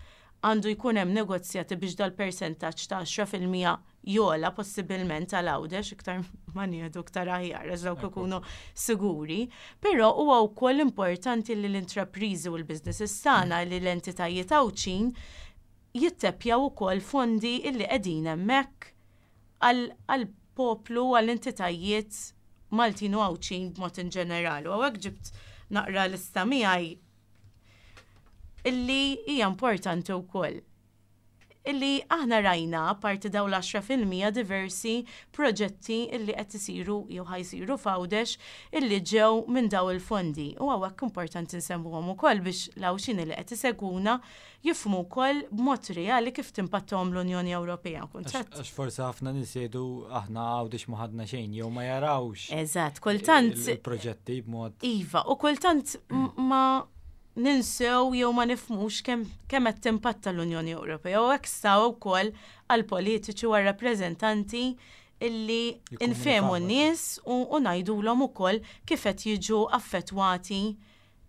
għandu jkun hemm negozjati biex dal-percentaġġ ta' għaxra fil-mija jogħla possibilment għal Għawdex, iktar ma nieħdu iktar aħjar għax dawk ikunu siguri, però huwa wkoll importanti li l-intrapriżi u l-businesses tagħna, li l-entitajiet Għawdxin jittepjaw ukoll fondi illi qegħdin hemmhekk għal poplu, għall-entitajiet Maltin u Għawdxin b'mod in ġenerali. U hawnhekk ġibt naqra lista miegħi illi hija importanti wkoll. Illi aħna rajna parti daw l-għaxra fil-mija diversi proġetti illi qed isiru jew ħa jsiru f'Għawdex illi ġew minn daw il-fondi. U hawnhekk importanti nsemmuhom ukoll biex l-Għawdxin li qed isegwuna jifhmu wkoll b'mod reali kif timpattahom l-Unjoni Ewropea. Kuntratt. Għax forsi ħafna nies jgħidu aħna Għawdex ma ħadna xejn jew ma jarawx. Eżatt, kultant il-proġetti b'mod. Iva, u kultant ma ninsew jew ma nifhmux kemm kemm qed timpatta l-Unjoni Ewropea u hekk saw wkoll għall-politiċi u għar-rappreżentanti Illi infehmu n-nies u ngħidulhom ukoll kif qed jiġu affettwati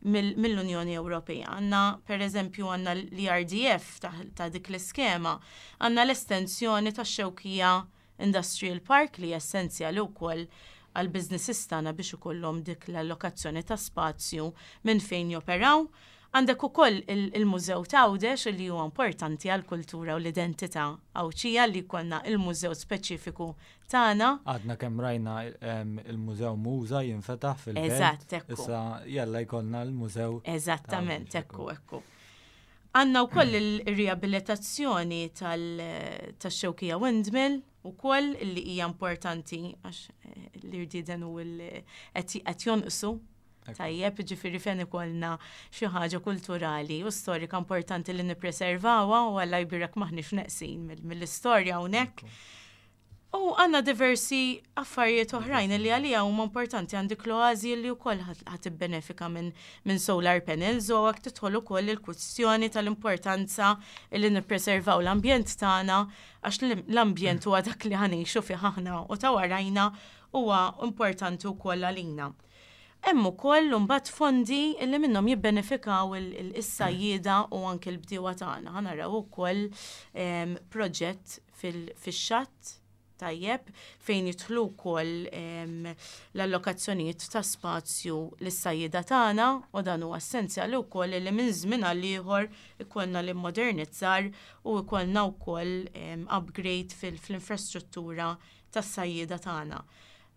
mill-Unjoni Ewropea. Għandna, per eżempju, għandna l-E R D F ta' dik l-iskema, għandna l-estensjoni tax-Xewkija Industrial Park li essenzjali wkoll għal businesses tagħna biex ikollhom dik l-allokazzjoni ta' spazju minn fejn joperaw. Għandek ukoll il-Mużew t'Għawdex li huwa importanti għal kultura u l-identità Għawdxija li jkollna il-mużew speċifiku tagħna. Għadna kemm rajna il-Mużew Muża jinfetaħ fil-belt. Eżatt, ekku. Issa jalla jkollna l-mużew. Eżattament, ekku, ekku. Għandna wkoll il-riabilitazzjoni tal-Xewkija Windmill ukoll li hija importanti għax eh, l-irdieden u qed jonqsu. Tajjeb, ġifieri fejn ikollna xi ħaġa kulturali u storika importanti li nippreservawha u Alla jbierek m'aħniex neqsin mill-istorja hawnhekk. U għandna diversi affarijiet oħrajn li għalija huma importanti. Għandek l-oazi li wkoll ħa tibbenefika minn min solar panels u għak tidħol ukoll il-kwistjoni tal-importanza li nippreservaw l-ambjent tagħna, għax l-ambjent huwa dak li ħa ngħixu fih aħna u ta' warajna, huwa importanti wkoll għalina. Hemm ukoll imbagħad fondi li minnhom jibbenefikaw is-sajjieda u anke l-bdiewa tagħna. Ħa naraw ukoll proġett fix-xatt, tajjeb, fejn jidħlu wkoll l-allokazzjonijiet ta' spazju lis-sajjieda tagħna, u dan huwa essenzjali wkoll li minn żmien għal ieħor ikollna l-immodernizzar u ikollna wkoll upgrade fil-infrastruttura tas-sajjieda tagħna.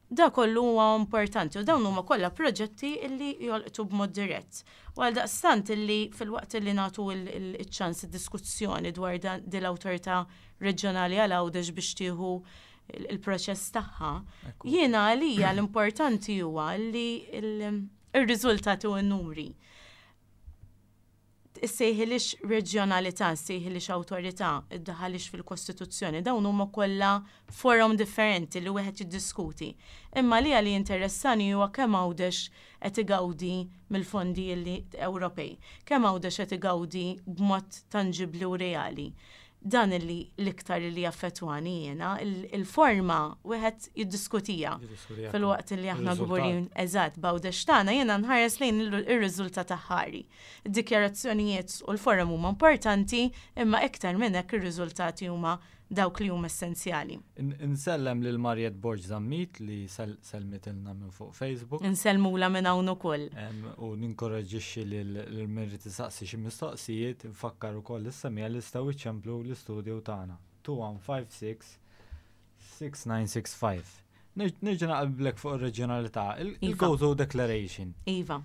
Da kollu huwa importanti u dawn huma kollha proġetti illi jolqtu b'mod dirett. U għal daqstant illi filwaqt illi nagħtu il-ċans diskussjoni dwar din l-awtorità reġjonali għal Għawdex biex tieħu il-proċess tagħha, jiena għalija l-importanti huwa li il-riżultati u n-numri. Issejħilix reġjonalità, issejħilix awtorità, iddaħħalhiex fil-Kostituzzjoni, dawn huma kollha forum differenti li wieħed jiddiskuti. Imma li għali interessani huwa kemm Għawdex qed igawdi mill-fondi li Ewropej, kemm Għawdex qed igawdi b'mod tanġibli u reali. Dan illi l-iktar li jaffettwani jiena, il-forma wieħed jiddiskutija. Filwaqt li aħna kburin, eżatt, b'Għawdex tagħna, jiena nħares lejn ir-riżultat aħħari. Id-dikjarazzjonijiet u l-forum huma importanti, imma iktar minn hekk ir-riżultati huma dawk li huma essenzjali. Insellem lil Marjet Borg Zammit li sellmitilna minn fuq Facebook. Insellmula minn hawn ukoll. U ninkoraġġixxi lil min irid isaqsi xi mistoqsijiet, nfakkar ukoll is-semmiegħa li jistgħu iċemplu l-istudio tagħna. two one five six six nine six five. Nerġa' naqblek fuq ir-reġjonalità, il-Gozo Declaration. Iva.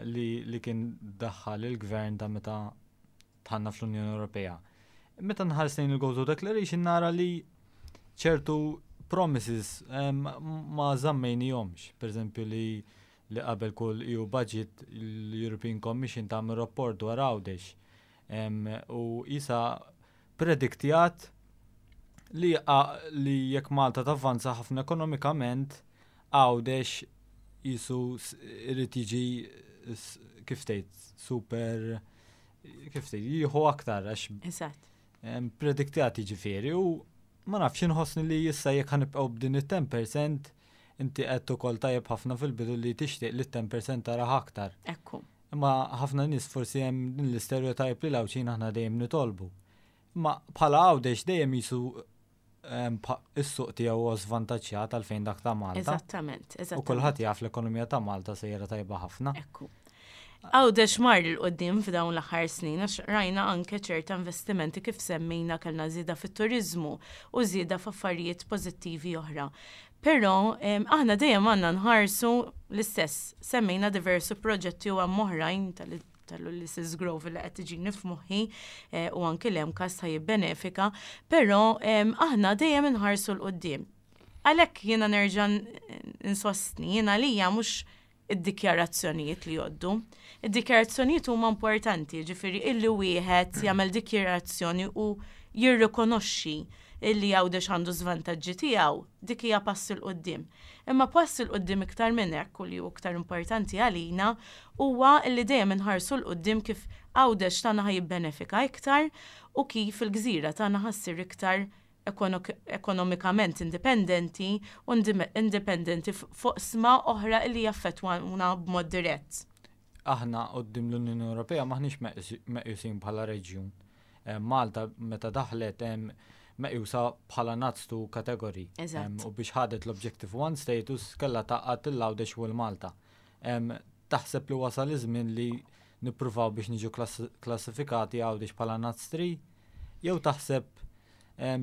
Li kien daħħal il-gvern ta' meta dħalna fl-Unjoni Ewropea. Meta nħares lejn il-Gozo Declaration nara li ċertu promises ma żammejnihomx. Per eżempju, li li qabel kull E U budget l-European Commission tagħmel rapport dwar Għawdex. U issa prediktjat li, li jekk Malta tavvanza ħafna ekonomikament, Għawdex jisu irid jiġi, kif tgħid, super, kif tgħid, jieħu aktar għax Eżatt. prediktjat ġifieri, u ma nafx, inħossni li issa jekk ħa nibqgħu b'din it-ten percent, inti qed ukoll tajjeb ħafna fil-bidu li tixtieq li ten percent taraħ aktar. Ekku. Imma ħafna nies forsi hemm din l-istereotype li l-Għawdxin aħna dejjem nitolbu. Imma bħala Għawdex dejjem jisu is-suq tiegħu huwa żvantaġġjat għalfejn dak ta' Malta. Eżattament, U eżattament. kulħadd jaf l-ekonomija ta' Malta sejra tajba ħafna. Ekku. Għawdex mar 'l quddiem f'dawn l-aħħar snin, għax rajna anke ċerta investimenti kif semmejna, kellna żieda fit-turizmu u żieda f'affarijiet pożittivi oħra. Però aħna dejjem għandna nħarsu l-istess, semmejna diversi proġetti u hemm oħrajn tal-Ulysses Grove li qed tiġini f'moħħi eh, u anke l-MCAST ħa jibbenefika, però aħna dejjem inħarsu 'l quddiem. Għalhekk jiena nerġa' insostni, jiena lija mhux id-dikjarazzjonijiet li jgħoddu. Id-dikjarazzjonijiet huma importanti, ġifieri illi wieħed jagħmel dikjarazzjoni u jirrikonoxxi illi Għawdex għandu żvantaġġi tiegħu, dik hija pass 'il quddiem. Imma pass 'il quddiem iktar minn hekk u li hu iktar importanti għalina huwa illi dejjem inħarsu 'l quddiem kif Għawdex tagħna ħa jibbenefika iktar u kif il-gżira tagħna ħa ssir iktar Ekonomikament indipendenti u indipendenti fuq oqsma oħra li jaffettwawna b'mod dirett. Aħna quddiem l-Unjoni Ewropea maħniex meqjusin bħala reġjun. Eh, Malta meta daħlet meqjusa bħala NUTS two category. U biex ħadet l-Objective one status kella tgħaqqad l-Għawdex u l-Malta. Taħseb li wasal iż-żmien li nippruvaw biex niġu klassifikati Għawdex bħala NUTS three? Jew taħseb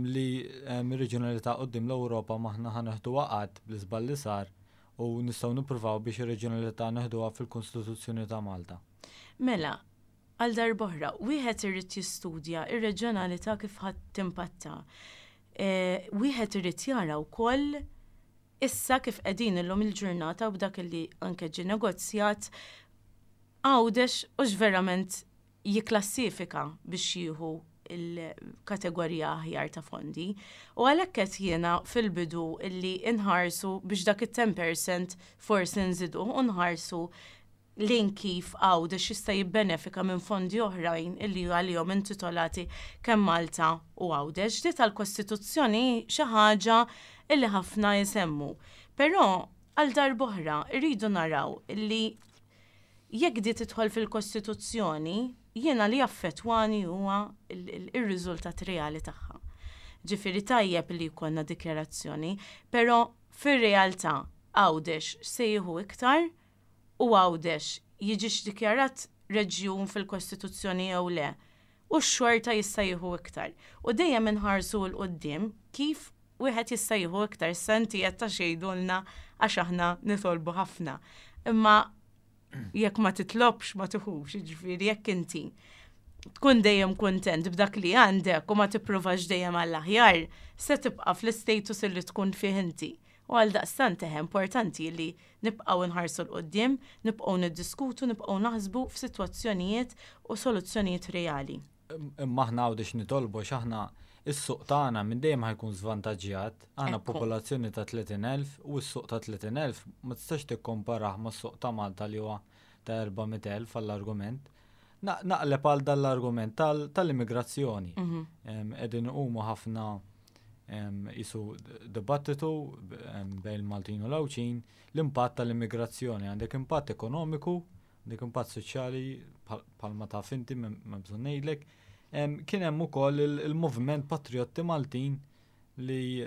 li ir-reġjonalità quddiem l-Ewropa m'aħna ħa neħdu waqgħat bl-iżball li sar u nistgħu nippruvaw biex ir-reġjonalità neħduha fil-Kostituzzjoni ta' Malta? Mela, għal darb'oħra, wieħed irid jistudja ir-reġjonalità kif ħa timpatta. E, wieħed irid jara wkoll issa kif qegħdin illum il-ġurnata u b'dak li anke ġie negozjat, Għawdex hux verament jiklassifika biex jieħu il-kategorija aħjar ta' fondi. U għalhekk qed jiena fil-bidu illi inħarsu biex dak it-ten percent forsi nżidu u nħarsu lejn kif Għawdex jista' jibbenefika minn fondi oħrajn illi għalihom intitolati kemm Malta u Għawdex. Di tal-Kostituzzjoni xi ħaġa illi ħafna jisemmu. Però għal darb'oħra irridu naraw illi jekk di tidħol fil-Kostituzzjoni, jiena li jaffettwani huwa il-riżultat reali tagħha. Ġifieri tajjeb li jkollna dikjarazzjoni, però fir-realtà Għawdex se jieħu iktar u Għawdex jiġix dikjarat reġjun fil-Kostituzzjoni jew le. U x-xorta jista' jieħu iktar. U dejjem inħarsu 'l quddiem kif wieħed jista' jieħu iktar. Senti qed ta' xejdulna għax aħna nitolbu ħafna. Imma jekk ma titlobx ma tiħux, ġifieri jekk inti tkun dejjem kontent b'dak li għandek u ma tippruvax dejjem għall-aħjar, se tibqa' fl-istatus li tkun fih inti. U għal daqstant eħe importanti li nibqgħu nħarsu 'l quddiem, nibqgħu niddiskutu, nibqgħu naħsbu f'sitwazzjonijiet u soluzzjonijiet reali. Imma aħna Għawdex nitolbu x'aħna is-suq tagħna minn dejjem ħa jkun żvantaġġjat. Aħna popolazzjoni ta' tletin elf u s-suq ta' tletin elf ma tistax tikkomparah mas-suq ta' Malta li huwa ta' erba' mitt elf għall-argument. Naqleb għal dal-argument tal-immigrazzjoni. Mhm. Qegħdin huma ħafna jisu dibattitu bejn il-Maltin u l-Għawdxin l-impatt tal-immigrazzjoni. Għandek impatt ekonomiku, għandek impatt soċjali bħalma taf inti, ma bżonn ngħidlek. Kien hemm ukoll il-moviment Patriotti Maltin li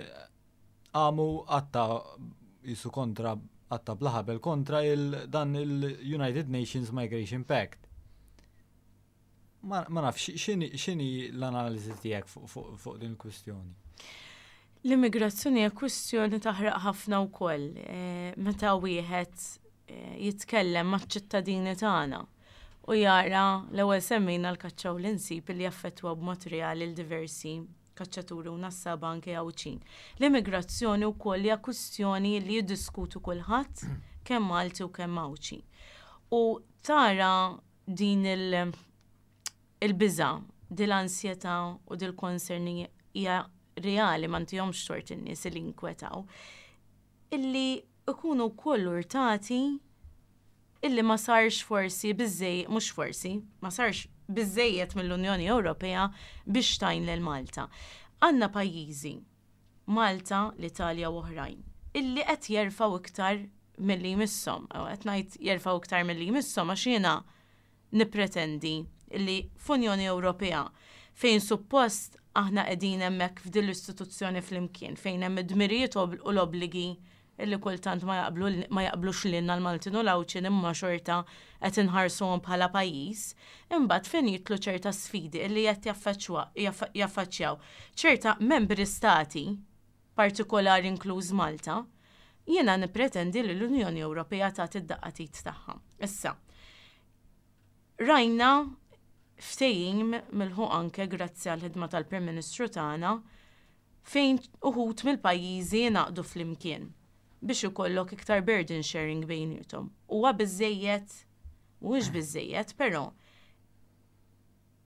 għamu għatta jisu kontra għatta bla ħabel kontra il dan il-United Nations Migration Pact. Ma nafx, x'inhi l-analiżi tiegħek fuq din il-kwistjoni? L-immigrazzjoni hija kwistjoni taħraq ħafna wkoll eh, meta wieħed eh, jitkellem maċ-ċittadini tagħna u jara l-ewwel semmejna l-kaċċa u l-insib li jaffettwa b'mod reali l-diversi kaċċaturi u nassaba anke Għawdxin. L-immigrazzjoni wkoll hija kwistjoni li jiddiskutu kulħadd, kemm Malti u kemm Għawdxi. U tara din il- il-biża, din l-ansjetà u dil-concern hija reali, ma ntihomx tort in-nies li inkwetaw. Illi ikunu wkoll urtati illi ma sarx forsi biżej, mhux forsi, ma sarx biżejjed mill-Unjoni Ewropea biex tgħin lil Malta. Għandna pajjiżi, Malta, l-Italja u oħrajn, illi qed jerfgħu iktar milli jmisshom. Qed ngħid jerfgħu iktar milli jmisshom għax jiena nippretendi illi f'Unjoni Ewropea, fejn suppost aħna qegħdin hemmhekk f'din l-istituzzjoni flimkien, fejn hemm id-dmirijiet u l-obbligi illi kultant ma jaqblu ma jaqblux lilna l-Maltin u l-Għawdxin, imma xorta qed inħarsuhom bħala pajjiż, imbagħad fejn jidħlu ċerta sfidi illi qed jaffaċċjaw ċerta membri stati partikolari, inkluż Malta, jiena nippretendi li l-Unjoni Ewropea tagħti d-daqqa t'id tagħha. Issa, rajna ftehim milħuq anke grazzi għall-ħidma tal-Prim Ministru tagħna, fejn uħud mill-pajjiżi ngħaqdu flimkien biex ikollok iktar burden sharing bejniethom. Huwa biżejjed? Mhuwiex biżejjed, però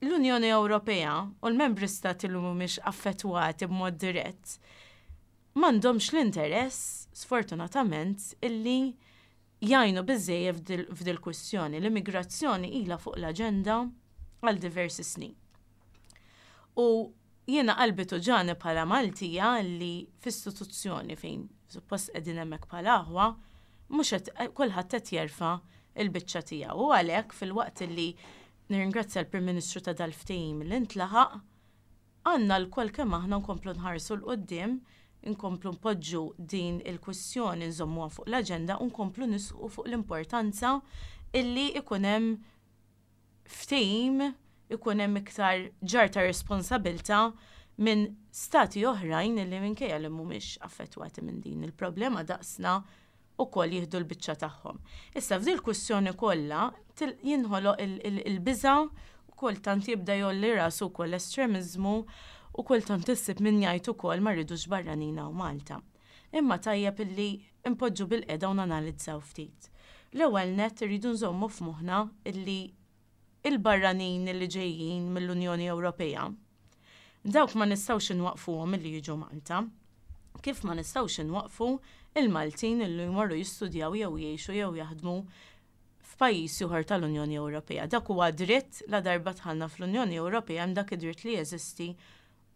l-Unjoni Ewropea u l-membri stati li mhumiex affettwati b'mod dirett m'għandhomx l-interess, sfortunatament, illi jgħinu biżejjed f'dil kwistjoni. L-immigrazzjoni ilha fuq l-aġenda għal diversi snin. U Jiena qalbi tuġgħani bħala Maltija li f'istituzzjoni fejn suppost qegħdin hemmhekk bħala aħwa, mhux qed kulħadd qed jerfa' il-biċċa tiegħu. U għalhekk, filwaqt li nirringrazzja l-Prim Ministru ta' dal-ftehim li ntlaħaq, għandna lkoll kemm aħna nkomplu nħarsu 'l quddiem, nkomplu npoġġu din il-kwistjoni, nżommuha fuq l-aġenda u nkomplu nisħqu fuq l-importanza illi ikun hemm ftehim, ikun hemm iktar ġarr ta' responsabbiltà minn stati oħrajn illi, minkejja li mhumiex affettwati minn din il-problema daqsna, ukoll jieħdu l-biċċa tagħhom. Issa, f'dil kwistjoni kollha jinħoloq il-biża' u kultant jibda jgħolli rasu wkoll estremiżmu u kultant issib min jgħid ukoll ma rridux barranin hawn Malta. Imma tajjeb illi impoġġu bilqiegħda u nanalizzaw ftit. L-ewwel net, irridu nżommu f'moħħna illi il-barranin li ġejjin mill-Unjoni Ewropea, dawk ma nistgħux inwaqfuhom milli jiġu Malta. Kif ma nistgħux inwaqfu il-Maltin illi jmorru jistudjaw jew jgħixu jew jaħdmu f'pajjiż ieħor tal-Unjoni Ewropea. Dak huwa dritt, la darba dħalna fl-Unjoni Ewropea hemm dak id-dritt li jeżisti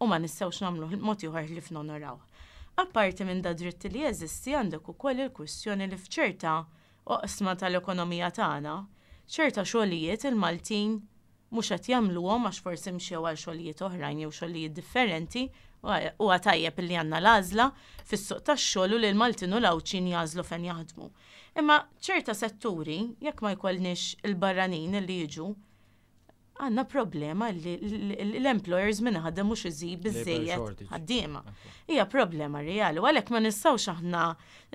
u ma nistgħux nagħmlu mod ieħor li nonoraw. Apparti minn da dritt li jeżisti, għandek ukoll il-kwistjoni li f'ċerta oqsma tal-ekonomija tagħna, ċerta xogħlijiet il-Maltin mhux qed jagħmluhom għax forsi mxew għal xogħlijiet oħrajn jew xogħlijiet differenti, u tajjeb li għandna l-għażla fis-suq tax-xogħol u li l-Maltin u l-Għawdxin jagħżlu fejn jaħdmu. Imma ċerta setturi, jekk ma jkollniex il-barranin li jiġu, għandna problema li l-employers minn ħaddem mhux iżid biżejjed ħaddiema. Hija problema reali u għalhekk ma nistgħux aħna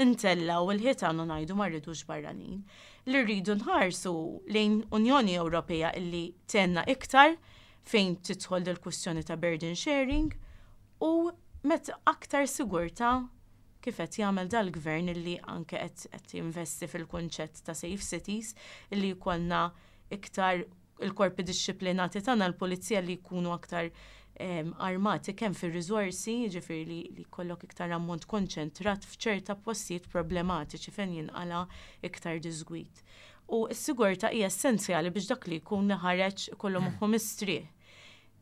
ntellgħu il-ħitan u ngħidu ma rridux barranin. Li rridu nħarsu lejn Unjoni Ewropea illi tgħinna iktar fejn tidħol del-kwistjoni ta' burden sharing u met aktar sigurta, kif qed jagħmel dal-gvern illi anke qed jinvesti fil-kunċett ta' safe cities, illi jkollna iktar il-korpi dixxiplinati tagħna, l-pulizija, li jkunu aktar armati kemm fir-riżorsi, jiġifieri li, li jkollok iktar ammont konċentrat f'ċerta postijiet problematiċi fejn jinqala iktar diżgwit. U s-sigurtà hija essenzjali biex dak li jkun ħareġ ikollu moħħu mistrieħ.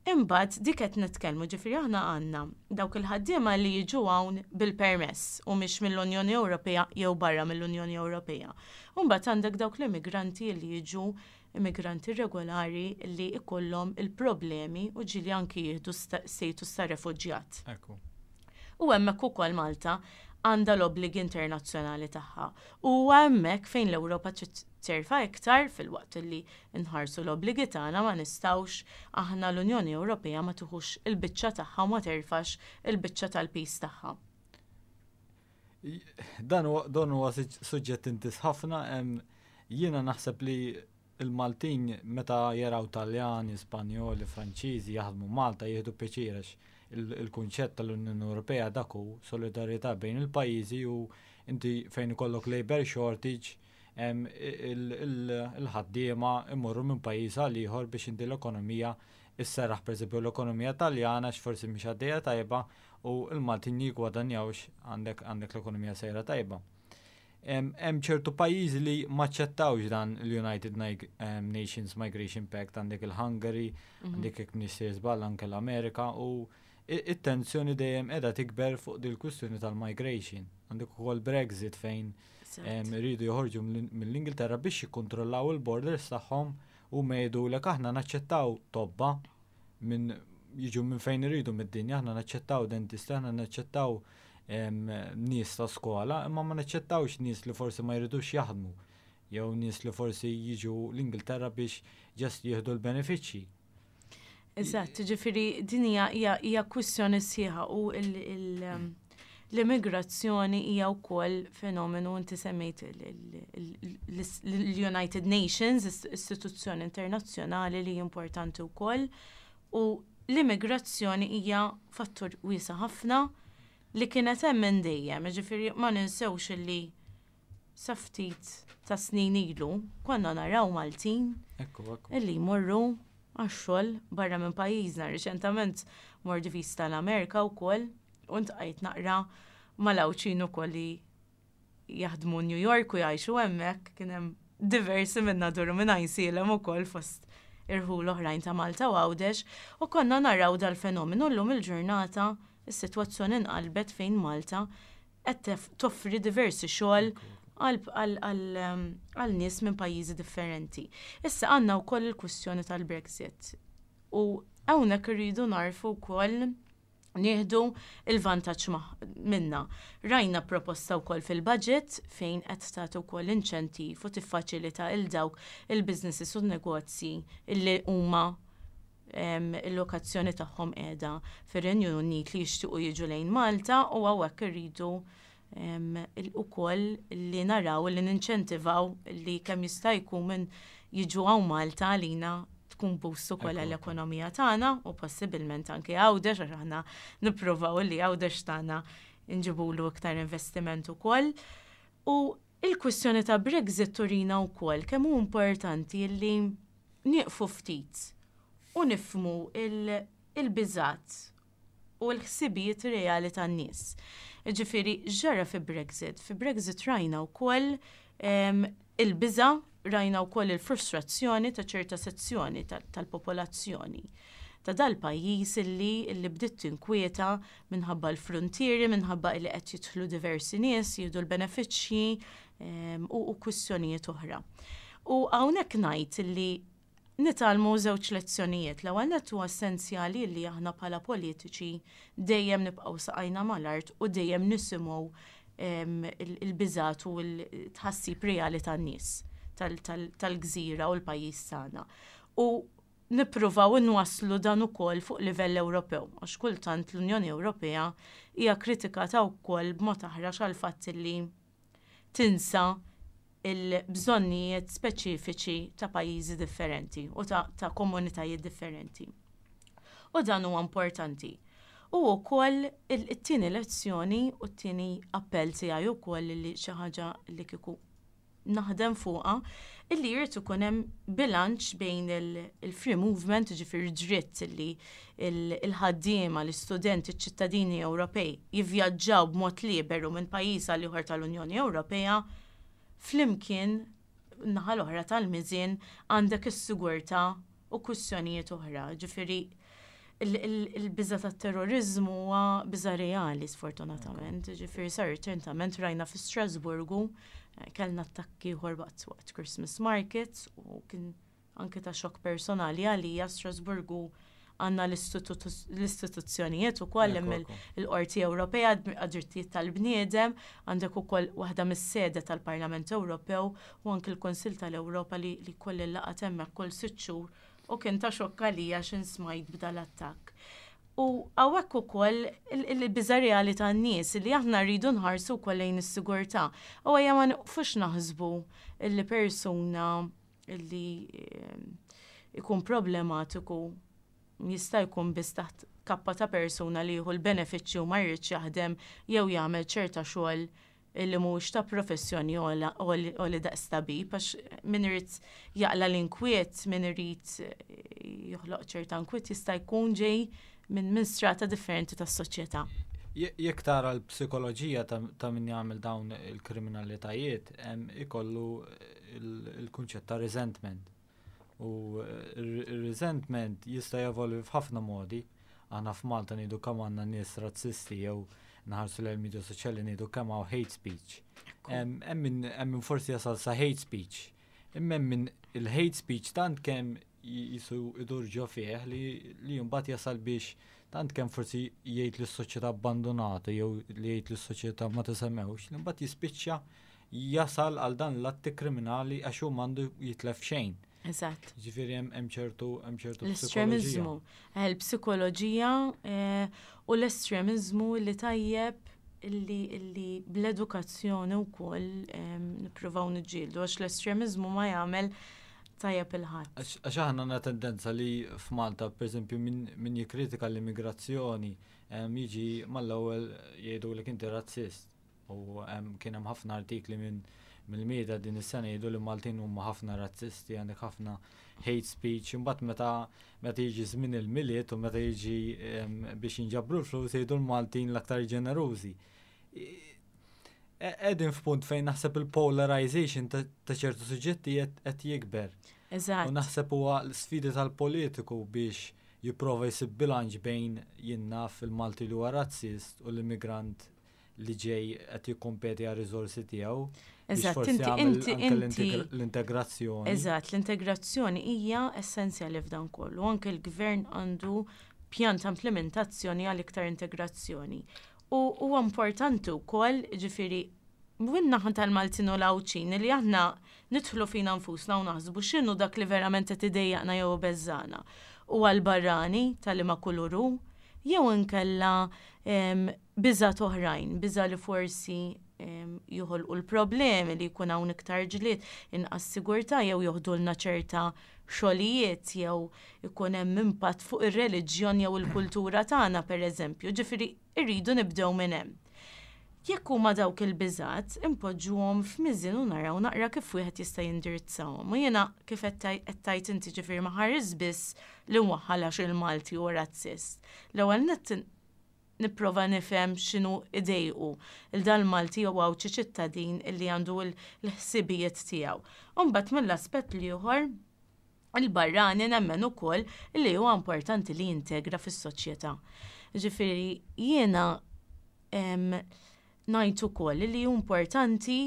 Imbagħad dik qed nitkellmu, ġifieri aħna għandna dawk il-ħaddiema li jiġu hawn bil-permess u mhix mill-Unjoni Ewropea jew barra mill-Unjoni Ewropea. Imbagħad għandek dawk l-immigranti li jiġu, immigranti regolari, li ikollhom il-problemi u ġieli anki jieħdu status ta' refuġjat. U hemmhekk ukoll Malta għandha l-obbligi internazzjonali tagħha. U hemmhekk fejn l-Ewropa trid terfa' iktar. Filwaqt li nħarsu l-obbligi tagħna, ma nistgħux aħna l-Unjoni Ewropea ma tieħux il-biċċa tagħha u ma terfax il-biċċa tal-piż tagħha. Dan huwa suġġett intis ħafna. Jiena naħseb li il-Maltin meta jaraw Taljani, Spanjoli, Franċiżi jaħdmu Malta jieħdu pjaċir, għax il-kunċett tal-Unjoni Ewropea dak hu, solidarjetà bejn il-pajjiżi, u inti fejn ikollok labor shortage, il-ħaddiema imorru minn pajjiż għal ieħor biex inti l-ekonomija isserraħ, pereżempju l-ekonomija Taljana x'forsi mhix għaddejja tajba u l-Maltin jiggwadanjawx, għandek għandek l-ekonomija sejra tajba. Hemm ċertu pajjiżi li maċċettawx dan l-United Nations Migration Pact, għandek il-Hungary, mhm. għandek, jekk m'iniex żball, anke l-Amerika, u it-tensjoni dejjem qiegħda tikber fuq dil-kwistjoni tal-migration. Għandek ukoll Brexit fejn iridu joħorġu mill-Ingilterra biex jikkontrollaw il-borders tagħhom, u jgħidulek aħna naċċettaw tobba minn jiġu minn fejn iridu mid-dinja, aħna naċċettaw dentisti, aħna naċċettaw nies ta' skola, imma ma naċċettawx nies li forsi ma jridux jaħdmu jew nies li forsi jiġu l-Ingilterra biex just jieħdu l-benefiċċji. Eżatt, ġifieri din hija hija kwistjoni sħiħa u l-immigrazzjoni hija wkoll fenomenu, inti semmejt l-United Nations, istituzzjoni internazzjonali li importanti wkoll, u l-immigrazzjoni hija fattur wiesa' ħafna li kienet hemm minn dejjem, ġifieri ma ninsewx li sa ftit ta' snin ilu konna naraw Maltin illi jmorru għax-xogħol barra minn pajjiżna. Riċentament mort viżta l-Amerika wkoll u ltqajt naqra mal-Għawdxin ukoll li jaħdmu New York u jgħixu hemmhekk. Kien hemm diversi minn Nadur, minn Għajnsielem ukoll fost irħul oħrajn ta' Malta u Għawdex, u konna naraw dal-fenomenu. Llum il-ġurnata is-sitwazzjoni nqalbet fejn Malta qed toffri diversi xogħol għal nies minn pajjiżi differenti. Issa għandna wkoll il-kwistjoni tal-Brexit. U hawnhekk irridu narfu wkoll nieħdu il-vantaġġ minna. Rajna proposta wkoll fil-budget fejn qed tagħti wkoll inċentiv u tiffaċilita il dawk il-businesses u negozji illi huma il-lokazzjoni tagħhom qiegħda fir-Renju Unit li jixtiequ jiġu lejn Malta, u hawnhekk irridu ukoll li naraw li ninċentivaw li kemm jista' jkun minn jiġu hawn Malta, għalina tkun boost ukoll għall-ekonomija tagħna u possibilment anke Għawdex, għax aħna nippruvaw li Għawdex tagħna nġibulu iktar investiment ukoll. U il-kwistjoni ta' Brexit turina wkoll kemm hu importanti li nieqfu ftit u nifhmu il-biżat u l-ħsibijiet reali tan-nies. Ġifieri, ġara fi Brexit. Fi Brexit rajna wkoll il-biża, rajna wkoll il-frustrazzjoni ta' ċerta sezzjoni tal-popolazzjoni ta' dal-pajjiż illi illi bdiet tinkwieta minħabba l-frontieri, minħabba illi qed jidħlu diversi nies, jieħdu l-benefiċċji u, u kwistjonijiet oħra. U hawnhekk ngħid illi nitgħallmu żewġ lezzjonijiet. L-ewwel nett, huwa essenzjali li aħna bħala politiċi dejjem nibqgħu saqajna mal-art u dejjem nisimgħu il-biżat u l-tħassib reali tan-nies tal-gżira u l-pajjiż tagħna. U nippruvaw inwasslu dan ukoll fuq livell Ewropew, għax kultant l-Unjoni Ewropea hija kritikata wkoll b'mod aħrax għal fatt li tinsa il-bżonnijiet speċifiċi ta' pajjiżi differenti u ta', ta komunitajiet differenti. U dan huwa importanti. U wkoll it-tieni lezzjoni u t-tieni appell tiegħi wkoll li xi ħaġa li kieku naħdem fuqha, illi jrid ikun hemm bilanċ bejn il-free movement, ġifieri dritt li il-ħaddiema, l-istudenti, ċ-ċittadini Ewropej jivvjaġġaw b'mod liberu minn pajjiż għal ieħor tal-Unjoni Ewropea, flimkien naħa l-oħra tal-miżien għandek is-sigurtà u kwistjonijiet oħra. Ġifieri il-biża tat-terrorizmu huwa biża reali, sfortunatament. Ġifieri sar ċertament rajna fi Strasburgu eh, kellna attakki ieħor waqt waqt Christmas markets u kien anke ta' xokk personali għalija. Strasburgu għandna l-istituzzjonijiet ukoll, hemm il-Qorti Ewropea għad-Drittijiet tal-Bniedem, għandek ukoll waħda mis-sede tal-Parlament Ewropew u anke l-Kunsill tal-Ewropa li li koll il-laqgħa hemmhekk kull sitt xhur, u kien ta' xokk għalija x'ħin smajt b'dal attakk. U hawnhekk ukoll il-biża reali tan-nies li aħna rridu nħarsu wkoll lejn is-sigurtà. U ejja ma nqfux naħsbu li persuna li eh, ikun problematiku jista' jkun biss taħt kappa ta' persuna li jieħu l-benefiċċju, ma jridx jaħdem jew jagħmel ċerta xogħol li mhux ta' professjoni u li daqs tabib, għax min irid jaqla l-inkwiet, min irid joħloq ċerta inkwiet, jista' jkun ġej minn min strata differenti tas-soċjetà. Jekk tara l-psikoloġija ta' min jagħmel dawn il-kriminalitajiet, ikollu il-kunċett ta' resentment. U il-resentment jista' jevolvi f'ħafna modi. Aħna f'Malta ngħidu kemm għandna nies razzisti jew naħarsu l-media soċjali, ngħidu kemm hawn hate speech. Hemm min forsi jasal sa hate speech. Imma hemm min il-hate speech tant kemm jisu idur ġo fih li li mbagħad jasal biex tant kemm forsi jgħid li s-soċjetà abbandonata jew li jgħid li s-soċjetà ma tisemmewx, li mbagħad jispiċċa jasal għal dan l-atti kriminali għax hu m'għandu jitlef xejn. Eżatt. Ġifieri hemm ċertu hemm ċertu L-estremizmu. Il-psikoloġija eh, u l-estremizmu li tajjeb illi illi bl-edukazzjoni wkoll nippruvaw niġġieldu, għax l-estremizmu ma jagħmel tajjeb lil ħadd. Għax aħna għandna tendenza li f'Malta, per eżempju, min jikkritika l-immigrazzjoni jiġi mal-ewwel jgħidu li inti razzist. U kien hemm ħafna artikli minn mill-media din is-sena jgħidu li Maltin huma ħafna razzisti, għandek ħafna hate speech, imbagħad meta meta jiġi żmien il-Milied u meta jiġi biex jinġabru l-flus, jgħidu l-Maltin l-aktar ġenerużi. Qegħdin f'punt fejn naħseb il-polarization ta' ċertu suġġetti qed jikber. Eżatt. U naħseb huwa l-sfidi tal-politiku biex jipprova jsib bilanċ bejn jien naf il-Malti li huwa razzist u l-immigrant li ġej qed jikkompeti għar riżorsi tiegħu. Biex Eżatt, forsi inti- jagħmel inti- anke inti- l-integra- l-integrazzjoni. Eżatt, l-integrazzjoni hija essenzjali f'dan kollu. Anke l-gvern għandu pjan ta' implementazzjoni għal iktar integrazzjoni. U huwa importanti wkoll, ġifieri, min-naħa tal-Maltin u l-Għawdxin li aħna nidħlu fina nfusna u naħsbu x'inhu dak li verament qed idejjaqna jew beżżana. U għal-barrani tal-liema kulur hu, jew inkella em, biżat oħrajn, biża li forsi em, joħolqu l-problemi li jkun hawn iktar ġlied, inqas sigurtà jew joħdulna ċerta xogħlijiet jew ikun hemm impatt fuq ir-reliġjon jew il-kultura tagħna pereżempju. Ġifieri irridu nibdew minn hemm. Jekk huma dawk il-biżat, impoġġuhom f'miżin u naraw naqra kif wieħed jista' jindirizzahom. U jiena kif qed taj- qed tajt inti ġifieri ma ħares biss li nwaħħal għax il-Malti u razzist. L-ewwel nett nipprova nifhem x'inhu idejqu il dal Malti jew Għawdxi ċittadin illi għandu l-ħsibijiet tiegħu. U mbagħad mill-aspett l-ieħor il-barrani nemmen ukoll li huwa importanti li jintegra fis-soċjetà. Ġifieri jiena em, ngħid ukoll li hu importanti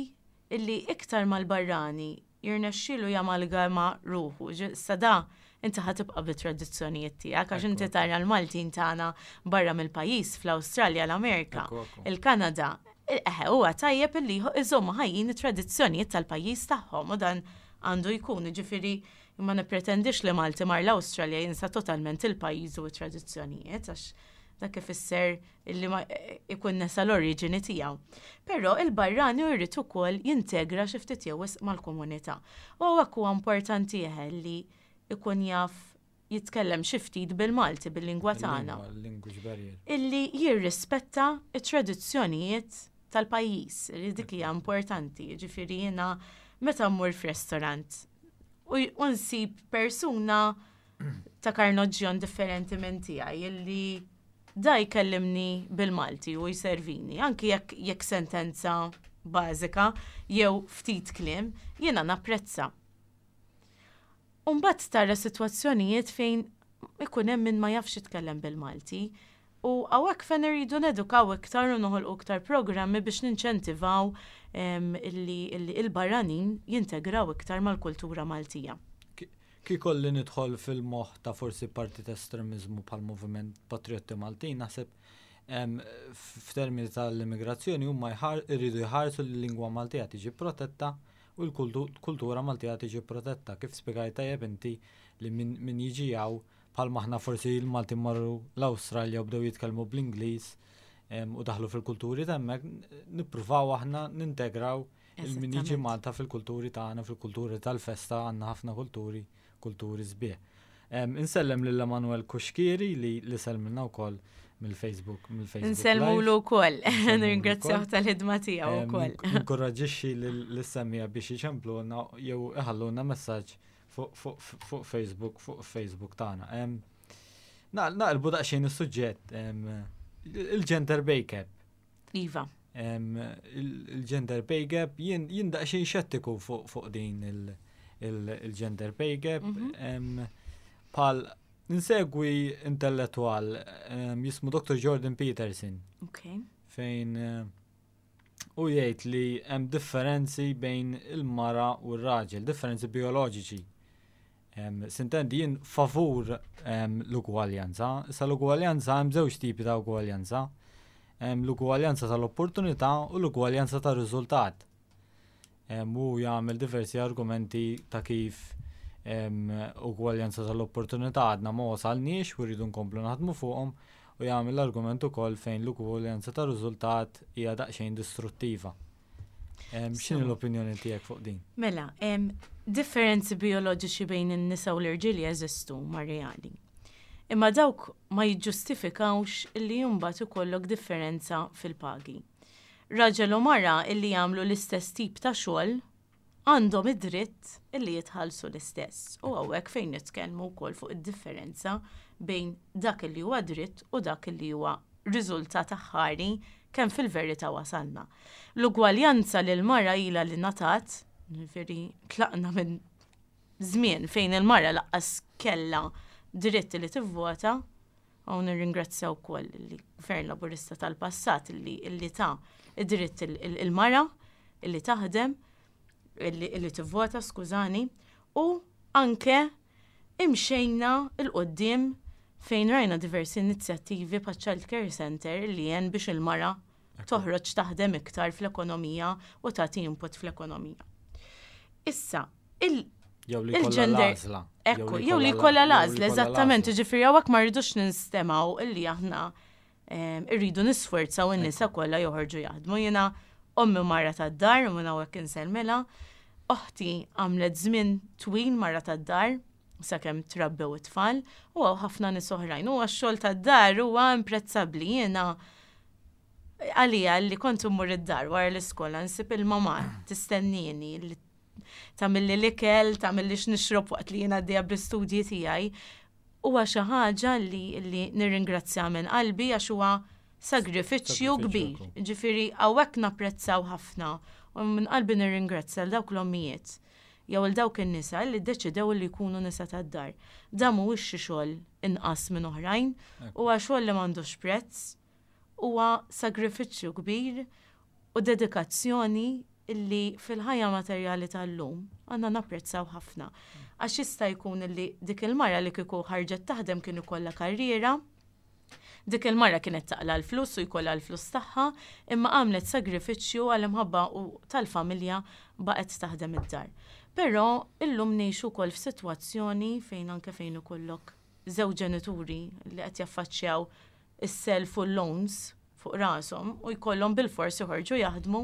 illi iktar mal-barrani jirnexxielu jamalgama ruħu. Ġi- Sada, inti ħa tibqa' bit-tradizzjonijiet tiegħek għax inti tara l-Maltin tagħna barra mill-pajjiż fl-Awstralja, l-Amerika, Ekku, ekku. il-Kanada. Eħe, huwa tajjeb illi iżommu ħajjin it-tradizzjonijiet tal-pajjiż tagħhom u dan għandu jkun, ġifieri ma nippretendix li Malti mar l-Awstralja jinsa totalment il-pajjiż u t-tradizzjonijiet għax dak ifisser illi ma ikun nesa l-oriġini tiegħu. Però il-barrani jrid ukoll jintegra xi ftit jew wisq mal-komunità. U hawnhekk huwa importanti eħe li ikun jaf jitkellem xi ftit bil-Malti bil-lingwa tagħna Language barrier. Illi jirrispetta it-tradizzjonijiet tal-pajjiż, li dik hija importanti. Ġifieri jiena meta mmur f'restorant u u nsib persuna ta' karnoġġjon differenti minn tiegħi illi da jkellimni bil-Malti u jservini, anki jekk jekk sentenza bażika jew ftit kliem, jiena napprezza. Umbat tara sitwazzjonijiet fejn ikun hemm min ma jafx jitkellem bil-Malti u hawnhekk fejn irridu nedukaw iktar u noħolqu iktar programmi biex ninċentivaw em, illi illi il-barranin jintegraw iktar mal-kultura Maltija. Ki kolli nidħol fil-moħ ta' forsi partit estremizmu pal moviment Patriotti Maltin, naħseb em, f'termini tal-immigrazzjoni huma jħar- irridu jħarsu li l-lingwa Maltija tiġi protetta u l-kultura Maltija tiġi protetta. Kif spiegajt tajjeb inti li min, min jiġi hawn bħal maħna forsi il-Malti marru l-Awstralja u bdew jitkellmu bl-Ingliż em, u daħlu fil-kulturi t'hemmhekk, nippruvaw aħna nintegraw il-min jiġi Eżattament. Malta fil-kulturi tagħna, fil-kulturi tal-festa, għandna ħafna kulturi, kulturi sbieħ. Em, Insellem lil Emanuel Kuxkieri li li sellmilna wkoll mill-Facebook, mill-Facebook. Nsellmulu wkoll, Nsellmulu nirringrazzjaw wkoll. tal-ħidma tiegħu Em, wkoll. Inkoraġixxi lis-semmiegħa biex iċempluna jew iħalluna messaġġ fuq fuq fuq Facebook, fuq Facebook tagħna. Em, na- Naqilbu daqsxejn is-suġġett, em, il-gender pay gap. Iva. Em, il- Il-gender pay gap jien jien daqsxejn xettiku fuq fuq din il- il- il-gender pay gap. Mhm. Em, Pal insegwi intellettual em, jismu Doctor Jordan Peterson Ok. fejn eh, u jgħid li hemm differenzi bejn il-mara u r-raġel, differenzi bioloġiċi. Em, Sintendi jien favur em, l-ugwaljanza, issa l-ugwaljanza hemm żewġ tipi ta' ugwaljanza. Hemm l-ugwaljanza tal-opportunità u l-ugwaljanza tar-riżultat. Em, U jagħmel diversi argumenti ta' kif em, ugwaljanza tal-opportunità għadna ma wasalniex u rridu nkomplu naħdmu fuqhom u jagħmel l-argument ukoll fejn l-ugwaljanza tar-riżultat hija daqsxejn distruttiva. Em, X'inhi Sewa. l-opinjoni tiegħek fuq din? Mela, em, differenzi bioloġiċi bejn in-nisa u l-irġiel jeżistu ma reali. Imma dawk ma jiġġustifikawx illi mbagħad ikollok differenza fil-pagi. Raġel u mara illi jagħmlu l-istess tip ta' xogħol għandhom id-dritt illi jitħallsu l-istess. U hawnhekk fejn nitkellmu wkoll fuq id-differenza bejn dak illi huwa dritt u dak illi huwa riżultat aħħari kemm fil-verità wasalna. L-ugwaljanza lil mara ilha li ngħatat, ġifieri tlaqna minn żmien fejn il-mara lanqas kella dritt li tivvota, u nirringrazzjaw ukoll il-Gvern Laburista tal-passat li li ta id-dritt il-mara illi taħdem, illi tivvota, skużani, u anke imxejna 'l quddiem fejn rajna diversi inizjattivi pa' Child Care Center li jen biex il-mara toħroġ taħdem iktar fl-ekonomija u tagħti input fl-ekonomija. Issa, il- Jew li jkollha il-gender- l-għażla. Ekku, jew li jkollha l-għażla, eżattament, ġifieri hawnhekk ma rridux ninstemgħu illi aħna em, irridu nisforzaw in-nisa kollha joħorġu jaħdmu. Jiena ommi mara tad-dar, u minn hawnhekk insellmilha, oħti għamlet żmien twil mara tad-dar, sakemm trabbew it-tfal, u hawn ħafna nies oħrajn. U għax-xogħol tad-dar huwa imprezzabbli. Jiena għalija li kont immur id-dar wara l-iskola nsib il-mama tistennini li tagħmilli l-ikel, tagħmilli x'nixrob waqt li jiena għaddejja bl-istudji tiegħi. Huwa xi ħaġa li, li nirringrazzja minn qalbi għax huwa sagrifiċċju Sagrifiċċju kbir. ekku. Ġifieri hawnhekk napprezzaw ħafna u minn qalbi nirringrazzja l dawk l-ommijiet jew il dawk in-nisa li ddeċidew li jkunu nisa tad-dar. Dan mhuwiex xi xogħol inqas minn oħrajn, huwa xogħol li m'għandux prezz, huwa sagrifiċċju kbir u dedikazzjoni illi fil-ħajja materjali tal-lum għandna napprezzaw ħafna. Għax jista' jkun illi dik il-mara li kieku ħarġet taħdem kien ikollha karriera, dik il-mara kienet taqla l-flus u jkollha l-flus tagħha, imma għamlet sagrifiċċju għal imħabba u tal-familja baqgħet taħdem id-dar. Però illum ngħixu wkoll f'sitwazzjoni fejn anke fejn ikollok żewġ ġenituri li qed jaffaċċjaw is-self u loans fuq rashom u jkollhom bil-fors joħorġu jaħdmu,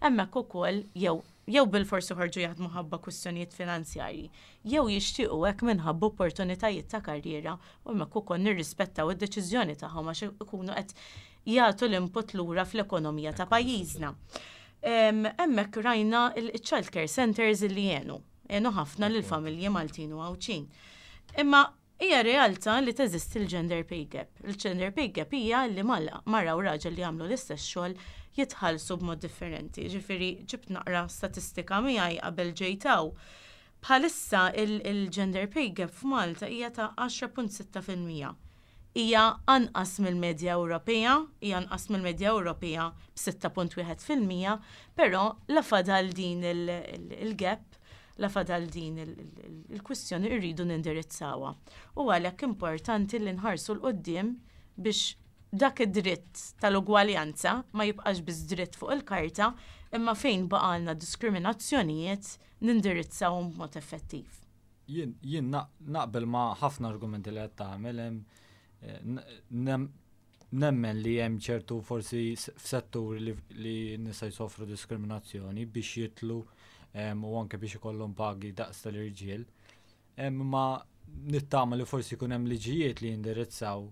hemmhekk ukoll jew jew bil-fors joħorġu jaħdmu ħabba kwistjonijiet finanzjarji, jew jixtiequ hekk minħabba opportunitajiet ta' karriera u hemmhekk ukoll nirrispettaw id-deċiżjoni tagħhom għax ikunu qed jagħtu l-input lura fl-ekonomija ta' pajjiżna. Em, Hemmhekk rajna il-child care centers li jenu, jenu ħafna lil familji Maltin u Għawdxin. Imma hija realtà li teżisti l-gender pay gap. Il-gender pay gap hija li mara u raġel li jagħmlu l-istess xogħol jitħallsu b'mod differenti. Ġifieri ġibt naqra statistika miegħi qabel ġejt hawn. Bħalissa il-gender pay gap f'Malta hija ta' għaxra punt sitta fil-mija. Hija anqas mill-medja Ewropea, hija anqas mill-medja Ewropea b'sitta punt wieħed fil-mija, però la fadal din il-gap, la fadal din il-kwistjoni irridu nindirizzawha. U għalhekk importanti li nħarsu 'l quddiem biex dak id-dritt tal-ugwaljanza ma jibqax biss dritt fuq il-karta, imma fejn baqalna diskriminazzjonijiet nindirizzawhom b'mod effettiv. Jien jien naqbel ma' ħafna argumenti li qed tagħmel hemm eh, nemmen li hemm ċertu forsi f'settur li, li nisa jsofru diskriminazzjoni biex jitlu u anke biex ikollhom pagi daqs tal-irġiel. Ma nittama li forsi jkun hemm liġijiet li jindirizzaw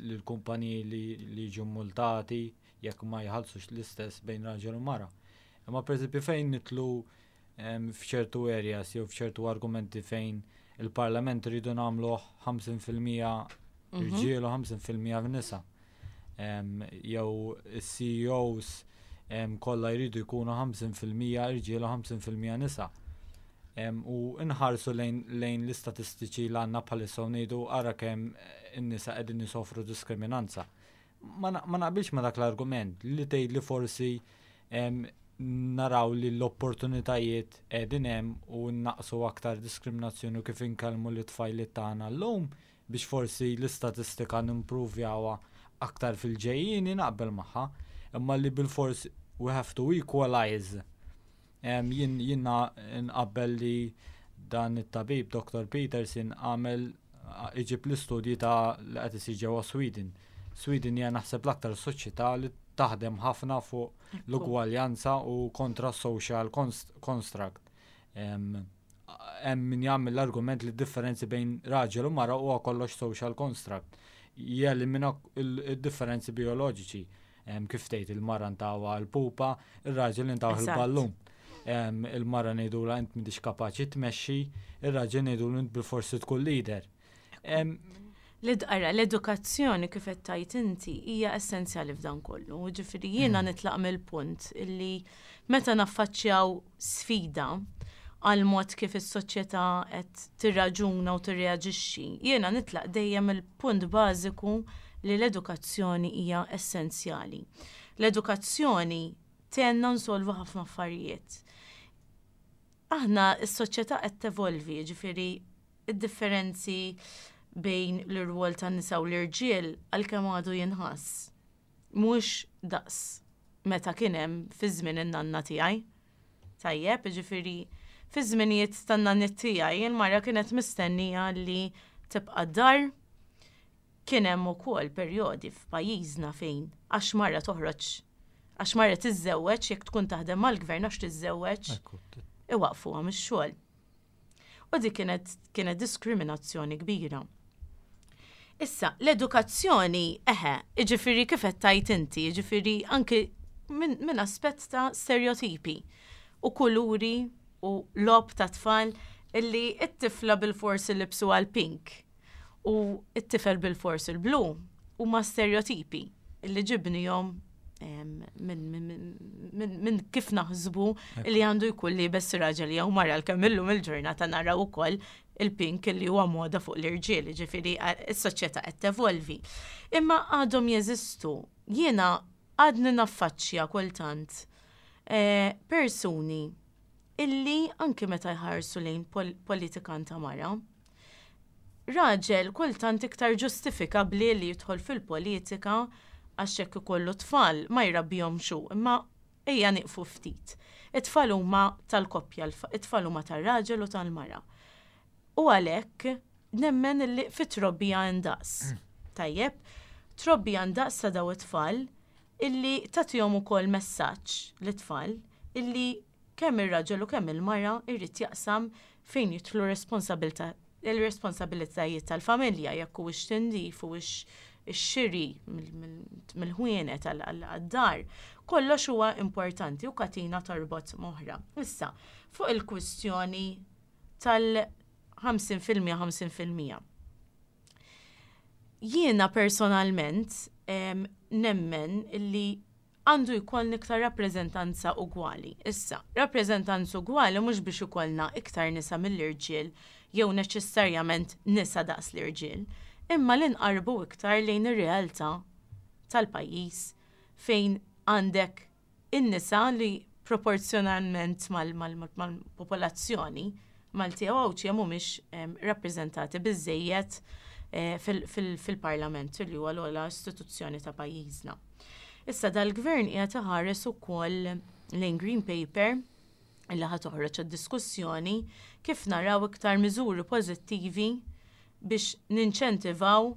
lill-kumpaniji li li jiġu multati jekk ma jħallsux l-istess bejn raġel u mara. Imma pereżempju fejn nitlu f'ċertu areas jew f'ċertu argumenti fejn il-parlament rridu nagħmlu ħamsin fil-mija mhm. irġiel u ħamsin fil-mija nisa. Jew is-C E Os kollha jridu jkunu ħamsin fil-mija irġiel u ħamsin fil-mija nisa. U nħarsu lejn, lejn l-istatistiċi li għandna bħalissa u ngħidu ara kemm in-nisa qegħdin jisofru diskriminanza. Ma naqbilx ma dak l-argument li tgħid li forsi naraw li l-opportunitajiet qegħdin hemm u naqsu aktar diskriminazzjoni u kif inkellmu l-tfajliet tagħna llum biex forsi l-istatistika nimpruvjawha aktar fil-ġejjini naqbel magħha, imma li bil-fors we have to equalize. Jien jiena nqabbel li dan it-tabib Doctor Peterson għamel iġib l-istudji ta' li qed isir ġewwa Sweden. Sweden hija naħseb l-aktar soċjetà li taħdem ħafna fuq l-ugwaljanza u kontra social construct. Hemm min jagħmel l-argument li differenzi bejn raġel u mara huwa kollox social construct. Jelimina il-differenzi bioloġiċi. Kif tgħid il-mara ntawha l-pupa, ir-raġel intawh il-ballun. Il-mara ngħidulha int m'intix kapaċi tmexxi, ir-raġel ngħidulu int bil-forsi tkun leader. L-idqara, l-edukazzjoni kif qed tgħid inti hija essenzjali f'dan kollu. Ġifieri jiena mm. nitlaq mill-punt illi meta naffaċċjaw sfida Għal mod kif is-soċjetà qed tirraġuna u tirreaġixxi. Jiena nitlaq dejjem il-punt bażiku li l-edukazzjoni hija essenzjali. L-edukazzjoni tgħinna nsolvu ħafna affarijiet. Aħna s-soċjetà qed tevolvi, ġifieri id-differenzi bejn l-irwol tan-nisa u l-irġiel, għalkemm għadu jinħass, mhux daqs meta kien hemm fi żmien in-nanna tiegħi. Tajjeb, ġifieri fi żminijiet tan-nanniet tiegħi il-mara kienet mistennija li tibqa' dar. Kien hemm ukoll perjodi f'pajjiżna fejn għax mara toħroġ, għax mara tiżżewweġ, jekk tkun taħdem mal-gvern, għax tiżżewweġ iwaqfuha mix-xogħol. U dik kienet kienet diskriminazzjoni kbira. Issa, l-edukazzjoni, eħe, iġifiri kif qed tajt inti, iġifiri anki minn min aspett ta' stereotipi u kuluri u logħob ta' tfal illi it-tifla bil-forsi libsu għal pink u it-tifel bil-forsi l-blu huma stereotipi illi ġibnihom minn min, min kif naħsbu li għandu jkun liebes raġel jew mara, għalkemm illum il-ġurnata naraw ukoll il-pink li huwa moda fuq l-irġiel, ġifieri s-soċjetà qed tevolvi. Imma għadhom jeżistu. Jiena għadni naffaċċja kultant eh, persuni illi anki meta jħarsu lejn pol politikanta mara, raġel kultant iktar ġustifikabli li jidħol fil-politika għax jekk ikollu tfal ma jrabbihomx hu, imma ejja nieqfu ftit. It-tfal huma tal-koppja, it-tfal huma tar-raġel u tal-mara. U għalhekk nemmen li fit-trobbija ndaqs. Tajjeb, trobbija ndaqs ta' daw it-tfal illi tagħtihom ukoll messaġġ lit-tfal illi kemm ir-raġel u kemm il-mara irrid jaqsam fejn jidħlu responsabilta il-responsabilitajiet tal-familja, jekk huwiex tindif, huwiex ix-xiri mill-ħwienet għad-dar, kollox huwa importanti u katina torbot m'oħra. Issa, fuq il-kwistjoni tal-ħamsin fil-mija ħamsin fil-mija. Jiena personalment nemmen illi għandu jkollna iktar rappreżentanza ugwali. Issa, rappreżentanza ugwali mhux biex ikollna iktar nisa mill-irġiel jew neċessarjament nisa daqs l-irġiel, imma li nqarbu iktar lejn ir-realtà tal-pajjiż fejn għandek in-nisa li proporzjonalment mal-popolazzjoni Malti u Għawdxija mhumiex rappreżentati biżejjed eh, fil-Parlament li huwa l-ogħla istituzzjoni ta' pajjiżna. Issa dal-gvern qiegħed iħares ukoll lejn Green Paper illi ħa toħroġ diskussjoni kif naraw iktar miżuri pożittivi biex ninċentivaw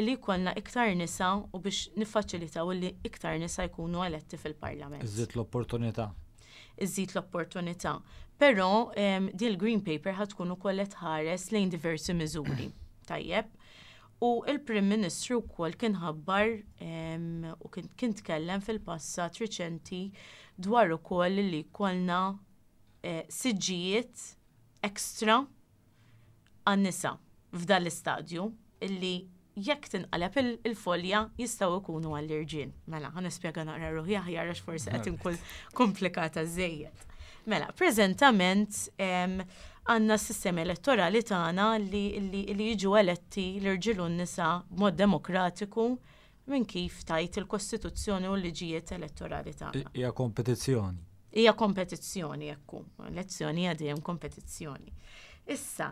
li jkollna iktar nisa u biex niffaċilitaw li iktar nisa jkunu eletti fil-Parlament. Iżid l-opportunità. Iżid l-opportunità. Però din il-Green Paper ħa tkun ukoll qed tħares lejn diversi miżuri. Tajjeb. U il-Prim Ministru wkoll kien ħabbar u kien tkellem fil-passat riċenti dwar ukoll li jkollna eh, siġġijiet ekstra għan-nisa f'dan l-istadju illi jekk tinqaleb il-folja jistgħu jkunu għall-irġiel. Mela, ħa nispjega naqra ruħi aħjar għax forsi qed inkun komplikata żejjed. Mela, preżentament għandna s-sistema elettorali tagħna li, li, li jiġu eletti l-irġiel u n-nisa b'mod demokratiku minn kif tajt il-Kostituzzjoni u l-liġijiet elettorali tagħna. Hija kompetizzjoni. Hija kompetizzjoni, ekku. Elezzjoni hija dejjem kompetizzjoni. Issa,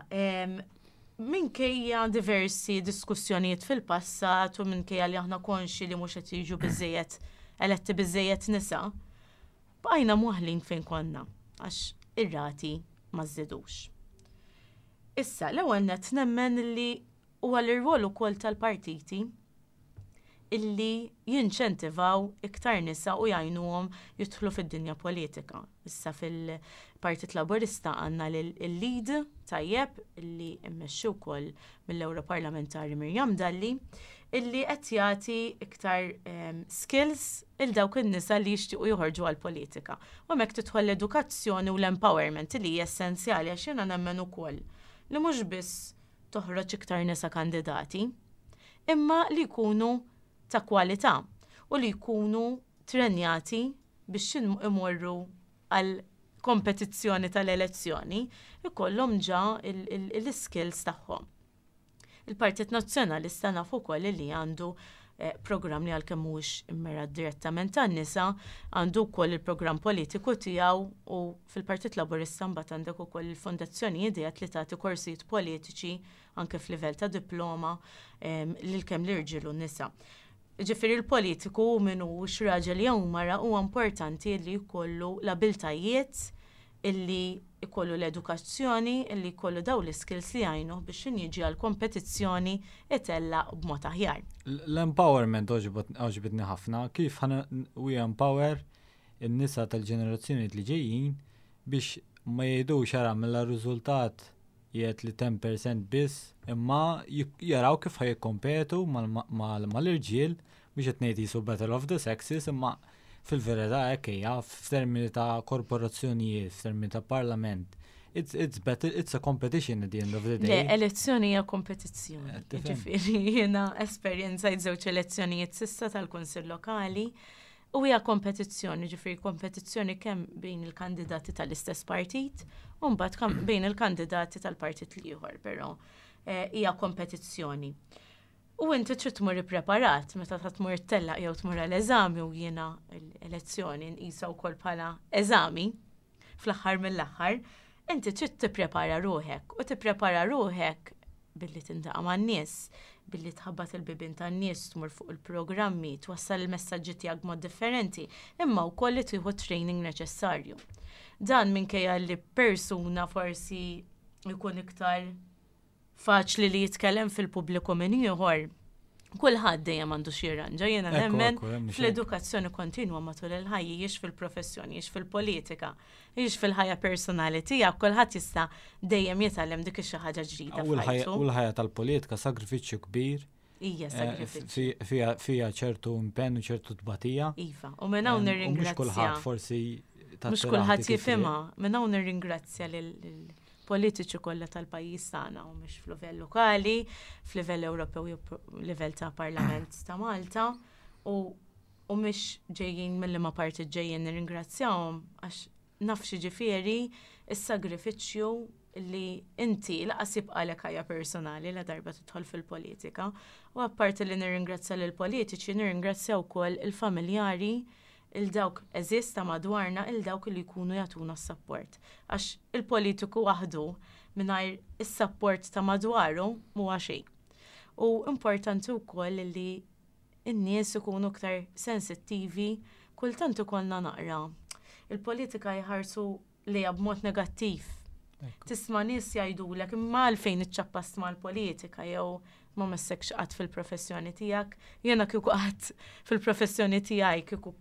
minkejja diversi diskussjonijiet fil-passat u minkejja li aħna konxi li mhux qed jiġu biżejjed eletti biżejjed nisa, bqajna mwaħlin fejn konna għax ir-rati ma żdidux. Issa, l-ewwel net nemmen li huwa l-irwol ukoll tal-partiti illi jinċentivaw iktar nisa u jgħinuhom jidħlu fid-dinja politika. Issa fil-Partit Laburista għandna l-LEAD, tajjeb, illi immexxi wkoll mill-Europarlamentari Miriam Dalli, illi qed jagħti iktar um, skills il dawk in-nisa li jixtiequ joħorġu għall-politika. U hemmhekk tidħol l-edukazzjoni u l-empowerment li hija essenzjali, għax jiena nemmen ukoll li mhux biss toħroġ iktar nisa kandidati, imma li jkunu ta' kwalità u li jkunu trenjati biex imorru għal kompetizzjoni tal-elezzjoni, ikollhom ġa l-skills tagħhom. Il-Partit Nazzjonalista nafu wkoll li għandu eh, programm li għalkemm mhuwiex immirat direttament tan-nisa, għandu wkoll il-programm politiku tiegħu u fil-Partit Laburista mbagħad għandek ukoll il-Fondazzjoni Ideat li tagħti korsijiet politiċi anke f'livell ta' diploma lil kemm l-irġiel u n-nisa. Ġifieri l-politiku min hu raġel jew mara huwa importanti li jkollu l-abiltajiet illi jkollu l-edukazzjoni, illi jkollu daw l-skills li jgħinu biex jiġi għal kompetizzjoni itella b'mod aħjar. L-empowerment għoġbitni ħafna, kif ħa we empower in-nisa tal-ġenerazzjoni li ġejjin biex ma jgħidux ara mill riżultat jgħid li għaxra fil-mija biss, imma jaraw kif ħa jikkompetu mal-irġiel biex qed ngħid jisu battle of the sexes, imma fil-verità hekk hija f'termini ta' korporazzjonijiet, f'termini ta' parlament. It's, it's better, it's a competition at the end of the day. Le, elezzjoni hija kompetizzjoni. Eh, Ġifieri jiena esperjenzajt żewġ elezzjonijiet s'issa tal-Kunsill Lokali u hija kompetizzjoni, ġifieri kompetizzjoni kemm bejn il-kandidati tal-istess partit u mbagħad bejn il-kandidati tal-partit l-ieħor, però eh, hija kompetizzjoni. U inti trid tmur ippreparat meta ta' tmur tellaq jew tmur għal-eżami u jiena l-elezzjoni nqisha wkoll bħala eżami fl-aħħar mill-aħħar, inti trid tipprepara ruħek u tipprepara ruħek billi tiltaqa' man-nies, billi tħabbat il-bibien tan-nies, tmur fuq il-programmi, twassal il-messaġġi tiegħek mod differenti, imma wkoll li tieħu training neċessarju. Dan minkejja li persuna forsi jkun iktar faċli li jitkellem fil-pubbliku minn ieħor. Kulħadd dejjem għandu xi jirranġa, jiena nemmen fl-edukazzjoni kontinwa matul il-ħajja, jiex fil-professjoni, jiex fil-politika, jiex fil-ħajja personali tiegħek, kulħadd jista' dejjem jitgħallem dik xi ħaġa ġdida. U l-ħajja tal-politika sagrifiċċju kbir. Ija, eh, sagrifiċċju. Fija ċertu impenn u ċertu tbatija. Iva, u minn hawn nirringrazzja. Mhux kulħadd forsi Mhux kulħadd jifhimha, minn hawn nirringrazzja lil politiċi kollha tal-pajjiż tagħna u mhux f'livell lokali, f'livell Ewropew jew livell ta' Parlament ta' Malta u u mhux ġejjin mill-liema parti ġejjin nirringrazzjahom għax naf ġifieri is-sagrifiċċju li inti lanqas jibqalek ħajja personali la darba tidħol fil-politika. U apparti li nirringrazzja lill politiċi nirringrazzja wkoll il-familjari il-dawk għeżież ta' madwarna il-dawk li jkunu jagħtuna s-support. Għax il-politiku waħdu mingħajr is-support ta' madwaru mhuwa xejn. U importanti wkoll li n-nies ikunu aktar sensittivi, kultant ikollna naqra. Il-politika jħarsu li b'mod negattiv. Tisma' nies jgħidulek imma għalfejn iċċappast mal-politika jew ma messekx qatt fil-professjoni tiegħek. Jiena kieku qatt fil-professjoni tiegħi kieku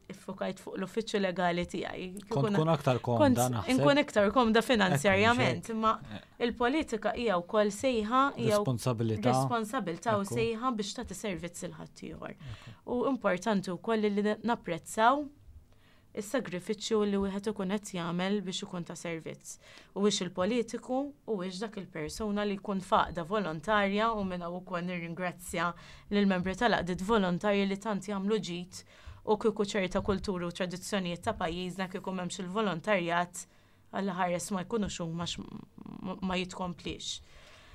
iffokajt fuq l-uffiċċju legali tiegħi. Kont tkun aktar komda naħseb. Inkun iktar komda finanzjarjament, imma eh. il-politika hija wkoll sejħa hija responsabilità. Responsabilità u sejħa biex tagħti servizz lil ħaddieħor. U importanti wkoll li napprezzaw is-sagrifiċċju li wieħed ikun qed jagħmel biex ikun ta' servizz. U biex il-politiku u biex dak il-persuna li jkun f'għaqda volontarja u minn hawn ukoll nirringrazzja lill-membri tal-għaqdiet volontarji li tant jagħmlu ġid u kieku ċerta kulturi u tradizzjonijiet ta' pajjiżna kieku m'hemmx il-volontarjat għal ħares ma jkunux huma ma jitkomplix.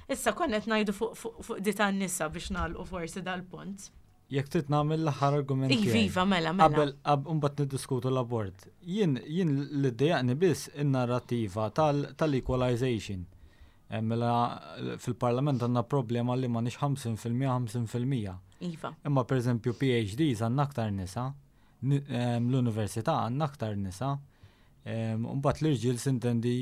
Issa konna qed ngħidu fuq di tan-nisa biex nagħlqu forsi dal-punt. Jekk trid nagħmel l-aħħar argument. Iva, mela, mela. Qabel mbagħad niddiskutu l-abort. Jien jien li ddejjaqni biss in-narrativa tal-equalization. Eh, mela fil-parlament għandna problema li ma nix ħamsin fil-mija ħamsin fil-mija. Iva. Imma per eżempju P H Ds għandna aktar nisa, l-università għandna aktar nisa. Mbagħad l-irġiel sintendi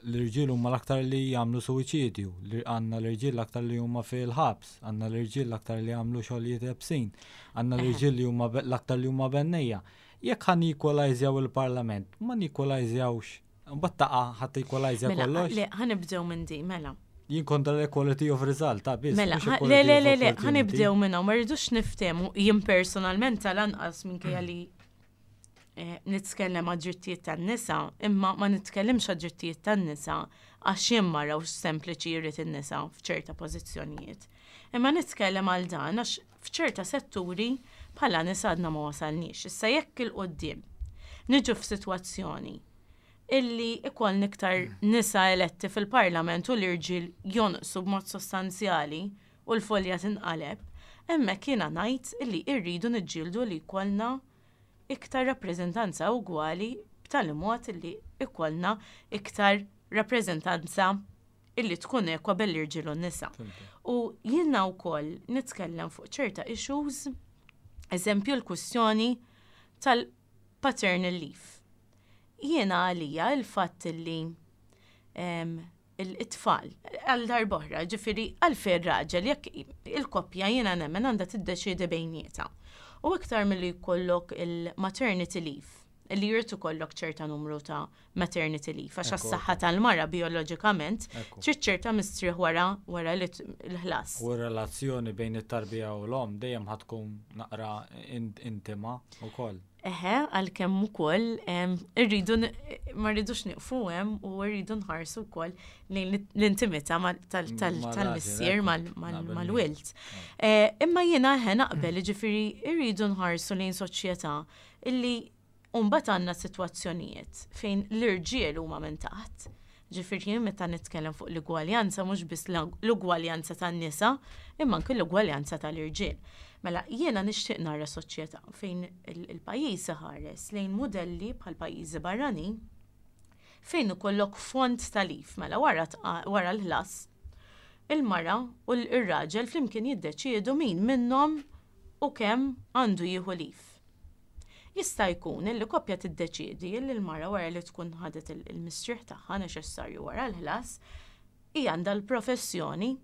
l-irġiel huma l-aktar li jagħmlu suwiċidju, għandna l-irġiel l-aktar li huma fil-ħabs, għandna l-irġiel l-aktar li jagħmlu xogħlijiet iebsin, għandna l-irġiel li huma l-aktar li huma bennejja. Jekk ħa nequalizjaw il-parlament, ma nequalizjawx. Mbagħad taqa' ħadd equalizja mela, kollox. Le, ħa nibdew minn di, mela. Jien kontra l-equality of result, ta' biss. Mela, le, le, le, le, ħa nibdew minn hawn, ma rridux niftehmu, jien personalment tal-anqas minkejja li eh, nitkellem għad-drittijiet tan-nisa, imma ma nitkellimx għad-drittijiet tan-nisa għax jien mara u sempliċi jrid in-nisa f'ċerta pożizzjonijiet. Imma nitkellem għal dan għax f'ċerta setturi bħala nisa għadna ma wasalniex. Issa jekk 'il quddiem niġu f'sitwazzjoni Illi ikollna iktar nisa eletti fil-parlament u l-irġiel jonqsu b'mod sostanzjali u l-folja tinqaleb, hemmhekk jiena ngħid illi rridu niġġieldu li jkollna iktar rappreżentanza ugwali, b'tali mod illi ikollna iktar rappreżentanza illi tkun ekwa bejn l-irġiel u n-nisa. U jiena wkoll nitkellem fuq ċerta issues, eżempju l-kwistjoni tal-paternal leave. Jiena għalija il-fatt illi il-tfal, għal darb'oħra, ġifieri għalfejn raġel, jekk il-koppja jiena nemmen għandha tiddeċiedi bejnietha. U iktar milli jkollok il-maternity leave, li jrid ikollok ċerta numru ta' maternity leave, għax għas-saħħa tal-mara bioloġikament trid ċerta mistrieħ wara wara l-ħlas. U relazzjoni bejn it-tarbija u l-om dejjem ħa tkun naqra intima wkoll. Eħe, għalkemm ukoll irridu ma rridux nieqfu hemm u rridu nħarsu wkoll lejn l-intimità tal-missier mal-wild. Eh, imma jiena eħe naqbel, ġifieri irridu nħarsu lejn soċjetà illi mbagħad għandna sitwazzjonijiet fejn l-irġiel huma minn taħt. Ġifieri meta nitkellem fuq l-ugwaljanza, mhux biss l-ugwaljanza tan-nisa, imma anke l-ugwaljanza tal-irġiel. Mela jiena nixtieq nara soċjetà fejn il-pajjiż iħares lejn modelli bħal pajjiżi barranin fejn ikollok fond ta' leave, mela wara wara l-ħlas il-mara u l-raġel flimkien jiddeċiedu min minnhom u kemm għandu jieħu leave. Jista' jkun illi koppja tiddeċiedi li l-mara, wara li tkun ħadet il-mistrieħ tagħha neċessarju wara l-ħlas, hija għandha l-professjoni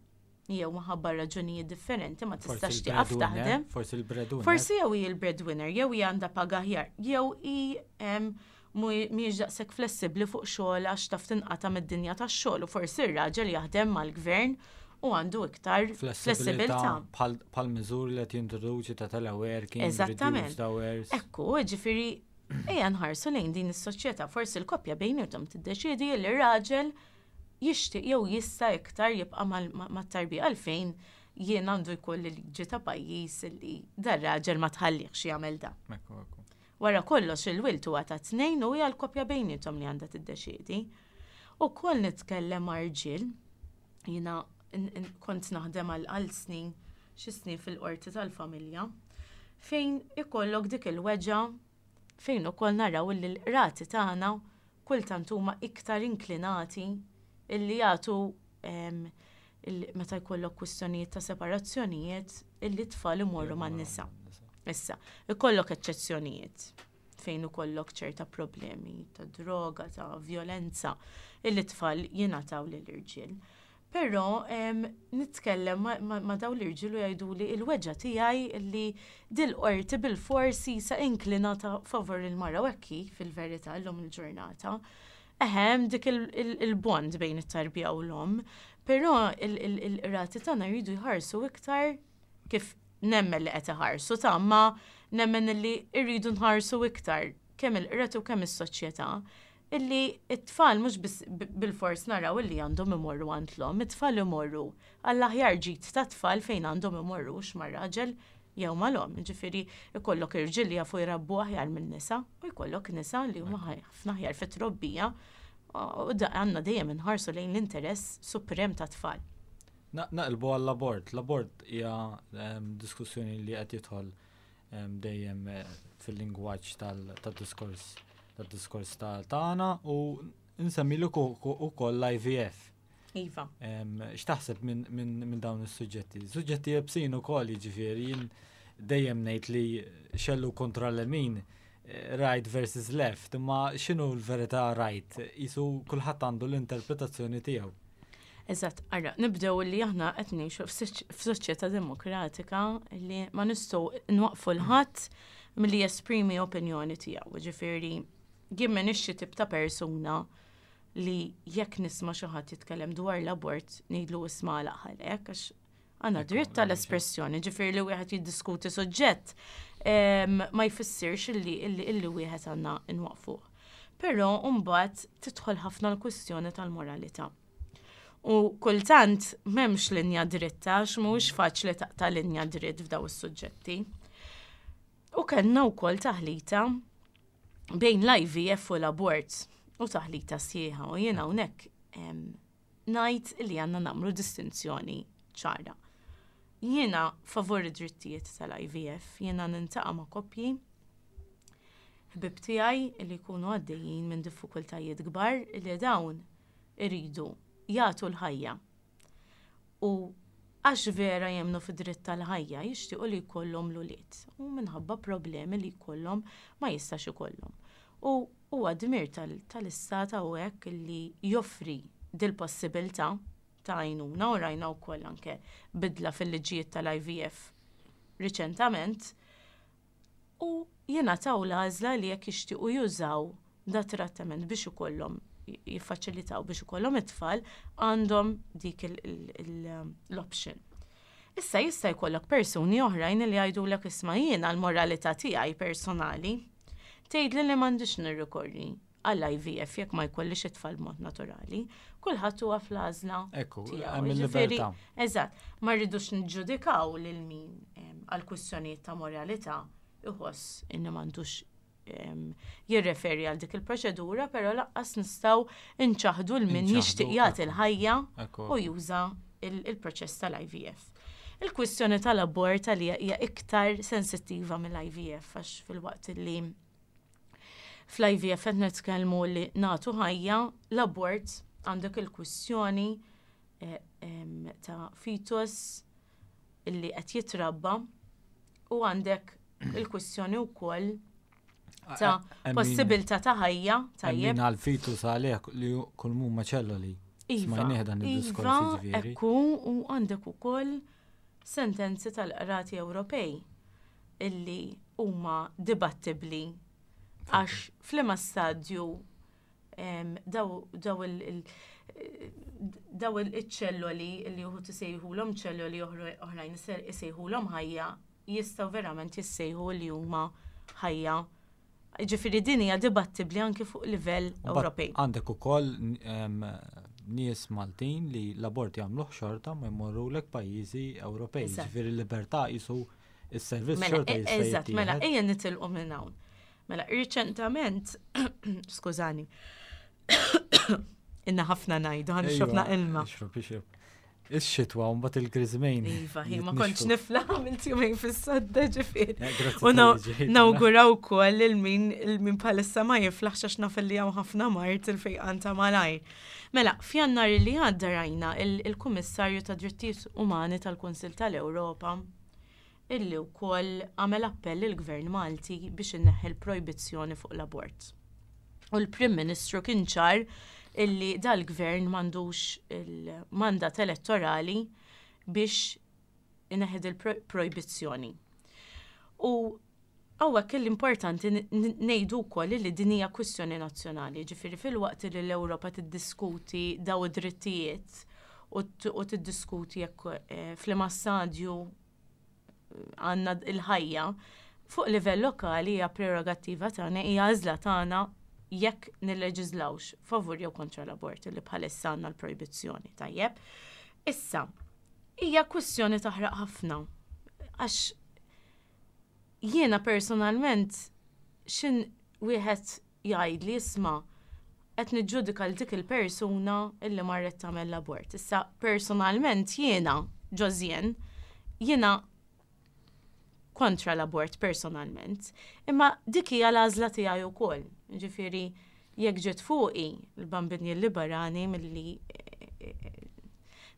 jew minħabba raġunijiet differenti ma tistax tieqaf taħdem. Forsi il-breadwinner. Forsi jew hi il-breadwinner, jew hi għandha paga aħjar, jew hi mhijiex daqshekk flessibbli fuq xogħol għax taf tinqata' mid-dinja tax-xogħol u forsi r-raġel jaħdem mal-gvern u għandu iktar flessibilità. Bħal miżuri li qed jintroduċi ta' teleworking, Eżattament. reduced hours. Ekku, ġifieri, ejja nħarsu lejn din is-soċjetà, forsi l-koppja bejnietom tiddeċiedi li r-raġel jixtieq jew jista' iktar jibqa' mat-tarbija, għalfejn jien għandu jkun li ta' pajjiż li dar-raġel ma tħallihx jagħmel da? Ekku, ekku. Wara kollox il-wild huwa ta' tnejn u hija l-koppja bejnietom li għandha tiddeċiedi. Ukoll nitkellem ma' rġiel, jiena kont naħdem għal għal snin, xi snin fil-qorti tal-familja, fejn ikollok dik il-weġgħa fejn ukoll naraw li l-qrati tagħna kultant huma iktar inklinati illi jagħtu meta jkollok kwistjonijiet ta' separazzjonijiet illi tfal imorru man-nisa. Issa, ikollok eċċezzjonijiet fejn ikollok ċerta problemi ta' droga, ta' violenza, illi tfal jingħataw lill-irġiel. Però nitkellem ma, ma, ma daw l-irġiel u jgħidu li il-weġgħa tiegħi li dil-qorti bil-forsi sa inklinata favor il-mara, u hekk hi fil-verità llum il-ġurnata. Ehem, dik il-bond bejn it-tarbija u l-om, però il-qrati tagħna jridu jħarsu iktar, kif nemmen li qed iħarsu ta' ma nemmen li rridu nħarsu iktar kemm il-qrati u kemm is-soċjetà illi it-tfal mhux biss bil-fors naraw illi għandhom imorru għand l-omm, it-tfal imorru għall-aħjar ġid ta' tfal fejn għandhom imorru, mar-raġel jew mal-omm. Ġifieri ikollok irġiel li jafu jrabbu aħjar minn nisa u jkollok nisa li huma ħafna aħjar fit-trobbija u għandna dejjem inħarsu lejn l-interess suprem ta' tfal. Naqilbu għall-abort. L-abort hija diskussjoni li qed jidħol dejjem eh, fil-lingwaġġ tal-diskors tad-diskors tagħna u nsemmilu ukoll l-I V F. Iva. X'taħseb minn dawn is-suġġetti? Suġġetti iebsin ukoll, jiġifieri jien dejjem ngħid li xellug kontra l-lemin, eh, right versus left, imma x'inhu l-verità right? Qisu kulħadd għandu l-interpretazzjoni tiegħu. Eżatt, ara, nibdew li aħna qed ngħixu f'soċjetà demokratika li ma nistgħu nwaqfu 'l ħadd milli jesprimi opinjoni tiegħu. Ġifieri jien m'iniex xi tip ta' persuna li jekk nisma' xi ħadd jitkellem dwar l-abort ngħidlu isma' għalaq, għax għandna dritt tal-espressjoni, ġifieri li wieħed jiddiskuti suġġett ma jfissirx illi illi wieħed għandna nwaqfuh. Però mbagħad tidħol ħafna l-kwistjoni tal-moralità. U kultant m'hemmx linja dritta, għax mhuwiex faċli taqta' linja dritt f'daw is-suġġetti. U kellna wkoll taħlita bejn l-I V F u l-abort. U taħlita sħiħa u jiena hawnhekk ngħid li għandna nagħmlu distinzjoni ċara. Jiena favur id-drittijiet tal-I V F, jiena niltaqa' ma' koppji ħbib tiegħi li jkunu għaddejjin minn diffikultajiet kbar li dawn iridu jagħtu l-ħajja. U għax vera jemmnu fid-dritt tal-ħajja, jixtiequ li jkollhom l-ulied u minħabba problemi li jkollhom ma jistax ikollhom. U huwa dmir tal-istat hawnhekk li joffri dil-possibilità ta' għajnuna, u rajna wkoll anke bidla fil-liġijiet tal-I V F riċentament, u jingħataw l-għażla li jekk jixtiequ jużaw da trattament biex ikollhom, jiffaċilitaw biex ikollhom it-tfal, għandhom dik l-option. Issa jista' jkollok persuni oħrajn li jgħidulek, "Isma', jiena l-moralità tiegħi personali tgħidli li m'għandix nirrikorri għall-I V F jekk ma jkollix it-tfal mod naturali." Kulħadd huwa fl-għażla Ekku, hemm il-libertà. Eżatt, ma rridux niġġudikaw lil min għal kwistjonijiet ta' moralità iħoss inni m'għandux jirreferi għal dik il-proċedura, però lanqas nistgħu nċaħdu lil min jixtieq jagħti l-ħajja u juża il-proċess tal-I V F. Il-kwistjoni tal-abort li hija iktar sensittiva mill-I V F, għax filwaqt li fl-I V F qed nitkellmu li nagħtu ħajja, l-abort għandek il-kwistjoni eh, ta' fetus illi qed jitrabba u għandek il-kwistjoni wkoll ta' possibilità ta' ħajja, tajjeb. Għal-fetus għalih li kull mumma ċelloli. Iva, iva, ekku, u għandek ukoll sentenzi tal-qrati Ewropej illi huma dibattibli, għax f'liema stadju daw il- daw il-ċelloli li uħud isejħulhom ċelloli, oħrajn isejħulhom ħajja, jistgħu verament jissejħu li huma ħajja. Ġifieri din hija dibattibli anki fuq livell Ewropej. Għandek ukoll nies Maltin li l-abort jagħmluh xorta ma jmorrulek pajjiżi Ewropej. Ġifieri l-libertà jisu is-servizz mela, xorta e- Eżatt, mela ejja nitilqu minn hawn. Mela, riċentament, skużani, inna ħafna ngħidu, ħa nixrob ilma. Ixrob, ixrob. Ix-xitwa u mbagħad il-griżmejn. Iva, hi ma kontx niflaħ, għamilt jumejn fis-sodda, ġifieri. U nawguraw ukoll lil min il-min bħalissa ma jiflaħx, għax naf li hawn ħafna mard, il-fejqan ta' malajr. Mela, f'Jannar li għadda rajna il-Kummissarju ta' Drittijiet Umani tal-Kunsil tal-Ewropa illi wkoll għamel appell il-Gvern Malti biex inneħħi l-projbizzjoni fuq l-abort. U l-Prim Ministru kien ċar illi dal-gvern m'għandux il-mandat elettorali biex ineħħi il-projbizzjoni. U hawnhekk l-importanti ngħidu wkoll li din hija kwistjoni nazzjonali, ġifieri filwaqt li l-Ewropa tiddiskuti daw id-drittijiet u tiddiskuti jekk eh, f'liema stadju għandna il-ħajja, fuq livell lokali hija prerogattiva tagħna, hija għażla tagħna jekk nilleġislawx favur jew kontra l-abort li bħalissa għandna l-projbizzjoni, tajjeb. Issa, hija kwistjoni taħraq ħafna. Għax jiena personalment xin wieħed jgħid li, "Isma', qed niġġudika l dik il-persuna illi marret tagħmel l-abort." Issa personalment jiena, Josiane, jiena kontra l-abort personalment, imma dik hija l-għażla tiegħi wkoll. Ġifieri jekk ġiet fuqi, il-Bambin jilliberani milli eh, eh,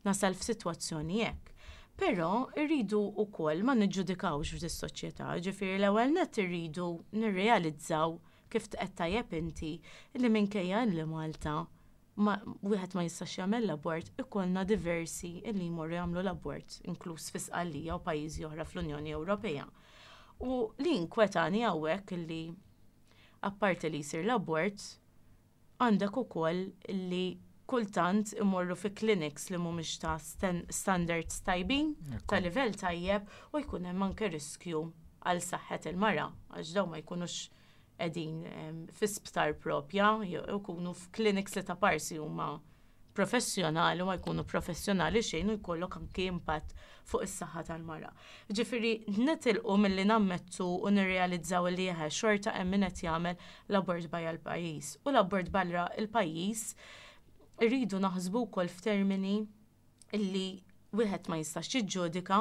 nasal f'sitwazzjoni hekk. Però irridu wkoll ma niġġudikawx f'dis-soċjetà, ġifieri l-ewwel nett irridu nirrealizzaw, kif qed tajjeb inti, li minkejja li Malta ma wieħed ma jistax jagħmel l-abort, ikollna diversi illi jmorru jagħmlu l-abort, inkluż fi Sqallija u pajjiżi oħra fl-Unjoni Ewropea. U li inkwetani hawnhekk illi apparti li jsir l-abort, għandek ukoll li kultant imorru fi clinics li mhumiex ta' standards tajbin, ta' livell tajjeb, u jkun hemm anke riskju għal saħħet il-mara, għax daw ma jkunux qegħdin fi sptar propja, jkunu f'clinics li ta' parsi huma Professjonali u ma jkunu professjonali xejn u jkollok anki impatt fuq is-saħħa tal-mara. Ġifieri nitilqu milli nammettu u nirrealizzaw li jeħe xorta hemm min qed jagħmel l-abort barra l-pajjiż. U l-abort barra l-pajjiż irridu naħsbu wkoll f'termini illi wieħed ma jistax jiġġudika,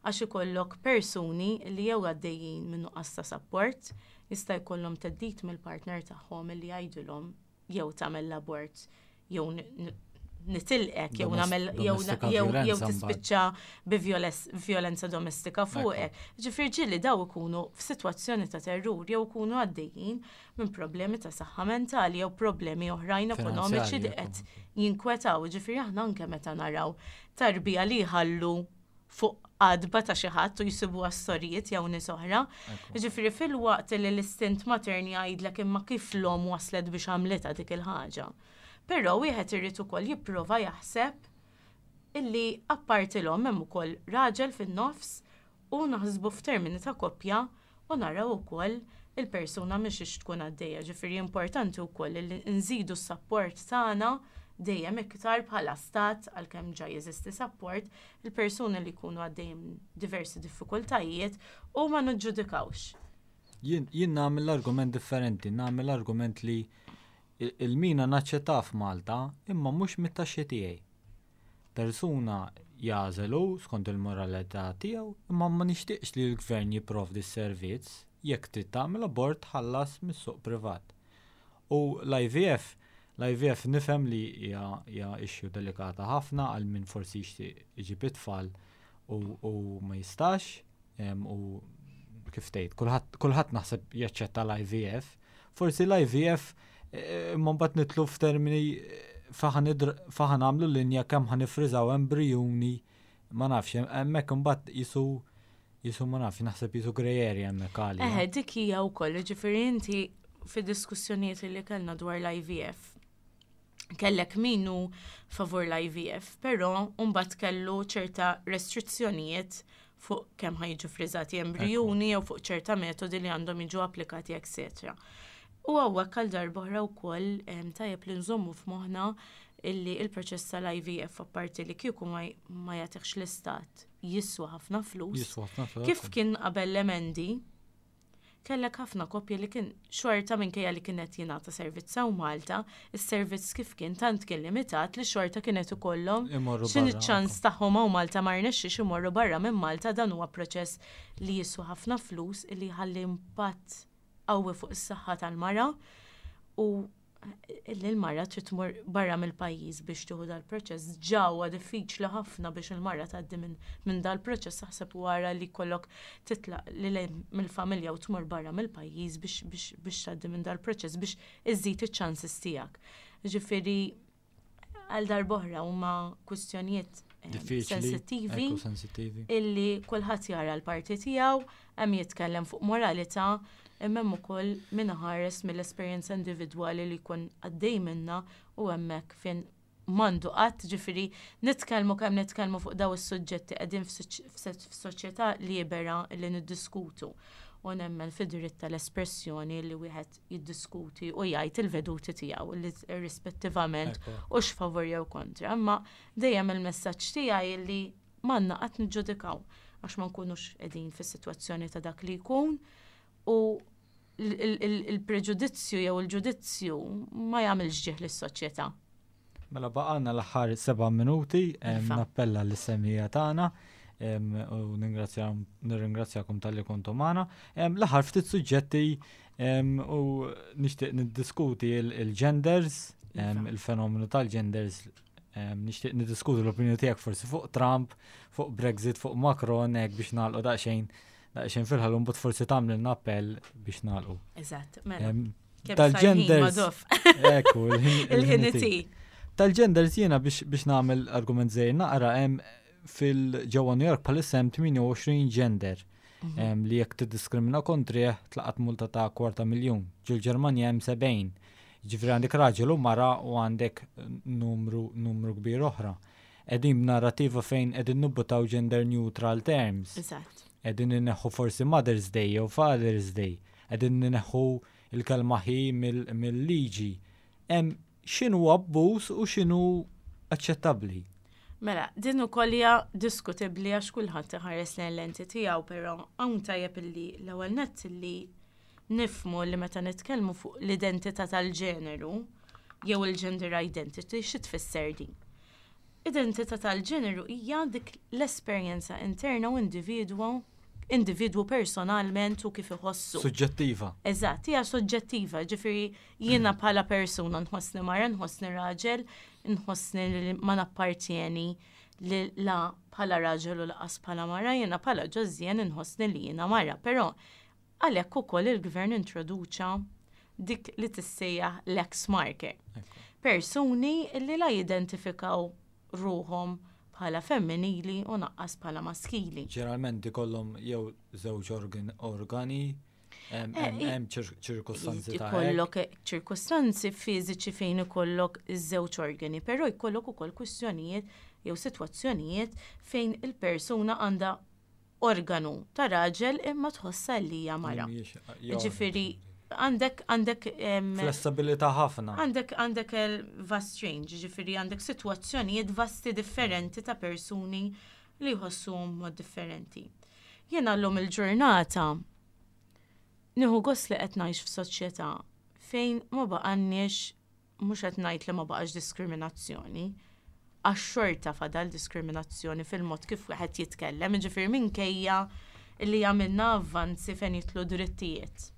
għax ikollok persuni li jew għaddejjin minn nuqqas ta' support, jista' jkollhom theddid mill-partner tagħhom illi jgħidulhom jew tagħmel l-abort jew nitilqek jew nagħmel jew jew tispiċċa bi violenza domestika fuqek. Ġifier ġieli daw ikunu f'sitwazzjoni ta' terrur jew ikunu għaddejjin minn problemi ta' saħħa mentali jew problemi oħrajn ekonomiċi li qed jinkwetaw. Ġifieri aħna anke meta naraw tarbija li jħallu fuq għatba ta' xi ħadd u jsibu sorijiet jew nies oħra. Ġifieri fil-waqt li l-istint matern jgħidlek imma kif l-om waslet biex għamlitha dik il-ħaġa. Però wieħed irid ukoll jipprova jaħseb illi apparti l-omm hemm ukoll raġel fin-nofs u naħsbu f'termini ta' koppja u naraw ukoll il-persuna mhix tkun għaddejja. Ġifieri importanti wkoll li nżidu s-sapport tagħna dejjem iktar bħala stat, għalkemm ġa jeżisti support, il-persuni li jkunu għaddejjem diversi diffikultajiet u ma niġġudikawx. Jien jien nagħmel argument differenti, nagħmel argument li il-mina naċċetta f'Malta imma mhux mit-taxxi tiegħi. Persuna jagħżel skont il-moralità tiegħu, imma ma nixtieqx li l-gvern jipprovdi s-servizz. Jekk trid tagħmel abort, ħallas mis-suq privat. U l-I V F, l-I V F nifhem li hija issue delikata ħafna għal min forsi jixtieq iġib it-tfal u ma jistax u kif tgħid, kulħadd naħseb jaċċetta l-I V F. Forsi l-I V F imma mbagħad nidħlu f'termini fejn ħa nagħmlu linja kemm ħa nifriżaw embrijuni, ma nafx, hemmhekk imbagħad jisu jisu ma nafx, naħseb jisu grey area hemmhekk għalija. Eħe, dik hija wkoll, ġifieri inti fid-diskussjonijiet li kellna dwar l-I V F, kellek min hu favur l-I V F, però mbagħad kellu ċerta restrizzjonijiet fuq kemm ħa jiġu friżati embrijuni jew fuq ċerta metodi li għandhom jiġu applikati, eccetera. U hawnhekk għal darb'oħra wkoll tajjeb li nżommu f'moħħna illi il-proċess tal-I V F, apparti li kieku ma jagħtihx l-istat, jiswa ħafna flus. Jiswa ħafna flus. Kif kien qabel l-emendi, kellek ħafna koppji li kien xorta, minkejja li kienet jingħata servizz hawn Malta, is-servizz kif kien tant kien limitat li xorta kienet ikollhom Imorru x'in barra, iċ-ċans tagħhom hawn Malta ma rnexxiex, imorru barra minn Malta. Dan huwa proċess li jiswa ħafna flus, li jħalli impatt qawwi fuq is-saħħa tal-mara u li l-mara trid tmur barra mill-pajjiż biex tieħu dal-proċess. Ġewwa diffiċli ħafna biex il-mara tgħaddi minn min dal-proċess, aħseb wara li kollok titlaq lil mill-familja u tmur barra mill-pajjiż biex biex biex tgħaddi minn dal-proċess biex iżżid iċ-chances tiegħek. Ġifieri għal darb'oħra huma kwistjonijiet eh, Diffiċli. sensittivi Ekku, sensittivi. illi kulħadd jara l-parti tiegħu, hemm jitkellem fuq moralità, imma hemm ukoll min ħares mill-esperjenza individwali li jkun għaddej minna u hemmhekk fejn m'għandu qatt, ġifieri nitkellmu kemm nitkellmu fuq daw is-suġġetti, qegħdin f'soċjetà libera li niddiskutu u nemmen fid-dritt tal-espressjoni li wieħed jiddiskuti u jgħid il-veduti tiegħu li irrispettivament Ekku. u x'favur jew kontra. Imma dejjem il-messaġġ tiegħi li m'għandna qatt niġġudikaw għax ma nkunux qegħdin fis-sitwazzjoni ta' dak li jkun u il-preġudizzju jew il-ġudizzju ma jagħmilx ġieħ lis-soċjetà. Mela baqgħalna l-aħħar seba' minuti, em, Iva. nappella lis-semmiegħa tagħna em, u nirringrazzjakom talli kontu magħna. Em, L-aħħar ftit suġġetti em, u nixtieq niddiskuti il- il-genders, em, Iva. il-fenomenu tal-genders, em, nixtieq niddiskuti l-opinjoni tiegħek forsi fuq Trump, fuq Brexit, fuq Macron, hekk biex nagħlqu daqsxejn daqsxejn fil-ħallu, mbagħad forsi tagħmlilna appell biex nagħlqu. Eżatt, mela. Em, Kemm Tal-genders. Madoff. Ekku, il-ħin Il-ħin itik. Tal-genders jiena biex, biex nagħmel argument żgħir naqra, hemm fil-ġewwa New York bħalissa hemm tmienja u għoxrin gender Mhm. em, li jekk tiddiskrimina kontrih tlaqat multa ta' kwarta miljun. Ġol-Ġermanja hemm sebgħin. Ġifieri għandek raġel u mara u għandek numru numru kbir oħra. Qegħdin b'narrativa fejn qegħdin nibbuttaw gender neutral terms. Eżatt. Qegħdin inneħħu forsi Mother's Day jew Father's Day. Qegħdin inneħħu il-kelma he mill-liġi. Hemm x'inhu abbuż u x'inhu aċċettabbli? Mela, din ukoll hija diskutibbli għax kulħadd iħares lejn lenti tiegħu, però hawn tajjeb illi l-ewwel nett illi nifhmu li meta nitkellmu fuq l-identità tal-ġeneru jew il-gender identity, xi tfisser din? Identità tal-ġeneru hija dik l-esperjenza interna u individwu individwu personalment u kif iħossu. Suġġettiva. Eżatt, hija soġġettiva, ġifieri jiena bħala persuna nħossni mara, nħossni raġel, nħossni li ma nappartjeni li la bħala raġel u lanqas bħala mara, jiena bħala Josianne nħossni li jiena mara, però għalhekk ukoll il-gvern introduċa dik li tissejjaħ l-X marker. Persuni li la jidentifikaw ruħhom bħala femminili u lanqas bħala maskili. Ġeneralment ikollhom jew żewġ organ- organi, hemm Eh, hemm- i- hemm ċir- ċirkustanzi ta' hekk. Ikollok ċirkustanzi fiżiċi fejn ikollok iż-żewġ organi, però jkollok ukoll kwistjonijiet jew sitwazzjonijiet fejn il-persuna għandha organu ta' raġel imma tħossa li hija mara. Mhijiex- jew- Ġifieri għandek għandek em, Flessibilità ħafna. Għandek għandek il-vast range, ġifieri għandek sitwazzjonijiet vasti differenti ta' persuni li jħossuhom mod differenti. Jiena llum il-ġurnata nieħu gost li qed ngħix f'soċjetà fejn ma baqanniex, mhux qed ngħid li ma baqax diskriminazzjoni, għax xorta fadal diskriminazzjoni fil-mod kif wieħed jitkellem, ġifieri minkejja li għamilna avvanzi fejn jidħlu drittijiet.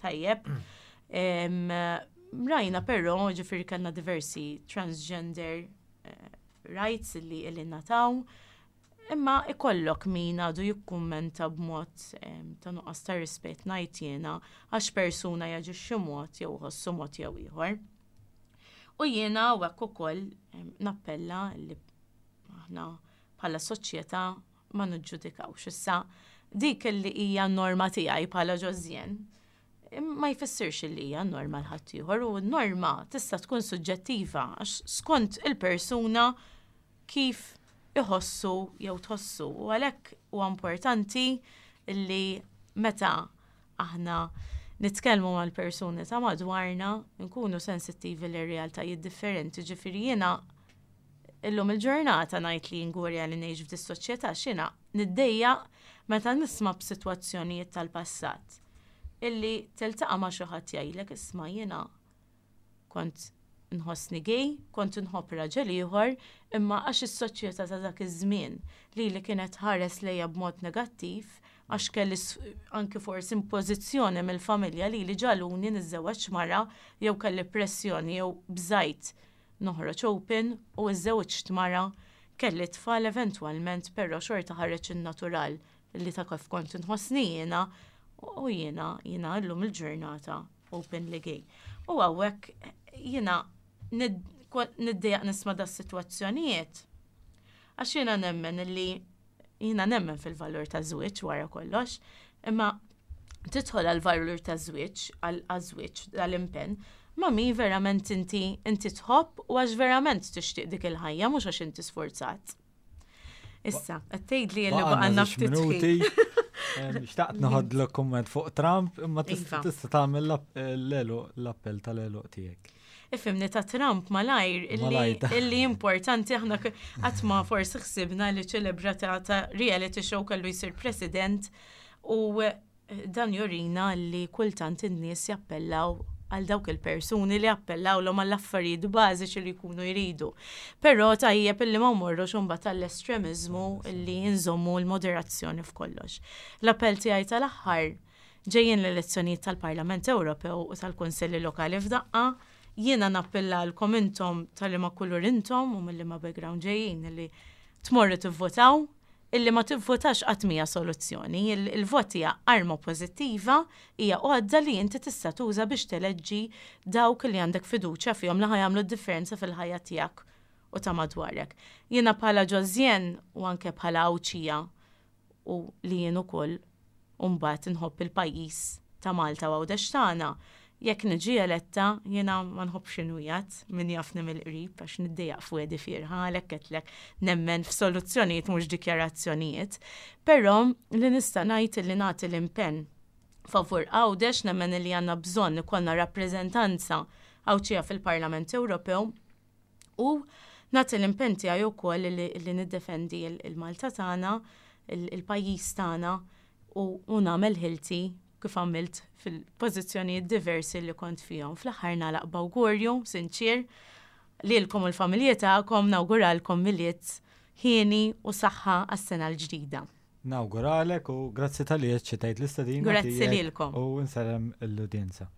Tajjeb. Em, Rajna però, ġifieri kellna diversi transgender eh, rights li li nataw, imma ikollok min għadu jikkummenta b'mod em, ta' nuqqas ta' rispett, ngħid jiena, għax persuna jaġixxi mod jew ħossu mod jew ieħor. U jiena u hekk ukoll em, nappella li aħna bħala soċjetà ma niġġudikawx. Issa dik li hija norma tiegħi bħala Josianne ma jfissirx li hija norma l ħaddieħor u n-norma tista' tkun suġġettiva għax skont il-persuna kif iħossu jew tħossu. U għalhekk huwa importanti li meta aħna nitkellmu mal-persuni ta' madwarna nkunu sensittivi li realtajiet differenti. Ġifieri jiena illum il-ġurnata ngħid li ngurja li ngħix f'dis soċjetà x'jiena niddejjaq meta nisma' b'sitwazzjonijiet tal-passat illi tiltaqa' ma' xi ħadd jgħidlek, "Isma', jiena kont nħossni gay, kont nħobb raġel ieħor, imma għax is-soċjetà ta' dak iż-żmien li li kienet ħares lejja b'mod negattiv, għax kelli s- anki forsi impożizzjoni mill-familja li li ġagħluni niżżewweġ mara jew kelli pressjoni jew bżajt noħroġ open u iżżewġt mara, kelli tfal eventwalment, però xorta ħareġ in-natural li ta' kif kont inħossni jiena u jiena jiena llum il-ġurnata openly gay." U hawnhekk jiena nid- kwa- niddejjaq nisma' da sitwazzjonijiet. Għax jiena nemmen li jiena nemmen fil-valur ta' żwieġ wara kollox, imma tidħol għal valur ta' żwieġ, għal żwieġ, għal-impenn, ma' min verament inti inti tħobb u għax verament tixtieq dik il-ħajja, mhux għax inti sforzat. Issa, qed tgħidli li Baqgħalna baqgħalna żewġ ftit ħin. minuti. Em, Xtaqt noħodlok kumment fuq Trump, imma tista' Iva. tista' tagħmel l-app- l-għeluq l-appell tal-għeluq tiegħek. Ifhimni, ta' Trump malajr illi, Malajr. illi importanti aħna k- qatt ma forsi ħsibna li ċelebrata ta' reality show kellu jsir president u eh, dan jurina li kultant in-nies jappellaw għal dawk il-persuni li appellaw l għall affarijiet bażiċi li jkunu jridu. Però tajjeb illi ma mmorrux imbagħad għall-estremizmu, illi nżommu l-moderazzjoni f'kollox. L-appell tiegħi tal-aħħar: ġejjin l-elezzjonijiet tal-Parlament Ewropew u tal-Kunsilli Lokali f'daqqa, jiena nappellalkom intom tal-liema kulur intom u mill-liema background ġejjin illi tmorru tivvotaw, illi ma tivvotax qatt mija soluzzjoni. Il- Il-vot hija arma pożittiva, hija għodda li inti tista' tuża biex teleġġi dawk li għandek fiduċja fihom li ħa jagħmlu d-differenza fil-ħajja tiegħek u ta' madwarek. Jiena bħala Josianne u anke bħala Għawdxija u li jien ukoll mbagħad inħobb il-pajjiż ta' Malta u Għawdex tagħna. Jekk niġi eletta, jiena ma nħobbx inwiegħed, min jafni mill-qrib, għax niddejjaq f'wegħdi fiergħa, għalhekk għedtlek nemmen f'soluzzjonijiet mhux dikjarazzjonijiet. Però li nista' ngħid li nagħti l-impenn favur Għawdex, nemmen li għandna bżonn ikollna rappreżentanza Għawdxija fil-Parlament Ewropew u Nagħti l-impenn tiegħi wkoll li, li niddefendi il-Malta tagħna, il-pajjiż tagħna u nagħmel ħilti kif għamilt fil-pożizzjonijiet diversi li kont fihom. Fl-aħħar nagħlaq b'awgurju sinċir lilkom u l-familji tagħkom, nawguralkom Milied hieni u saħħa għas-sena l-ġdida. Nawguralek u grazzi talli aċċettajt l-istedina. Grazzi lilkom. U nsellem l-udjenza.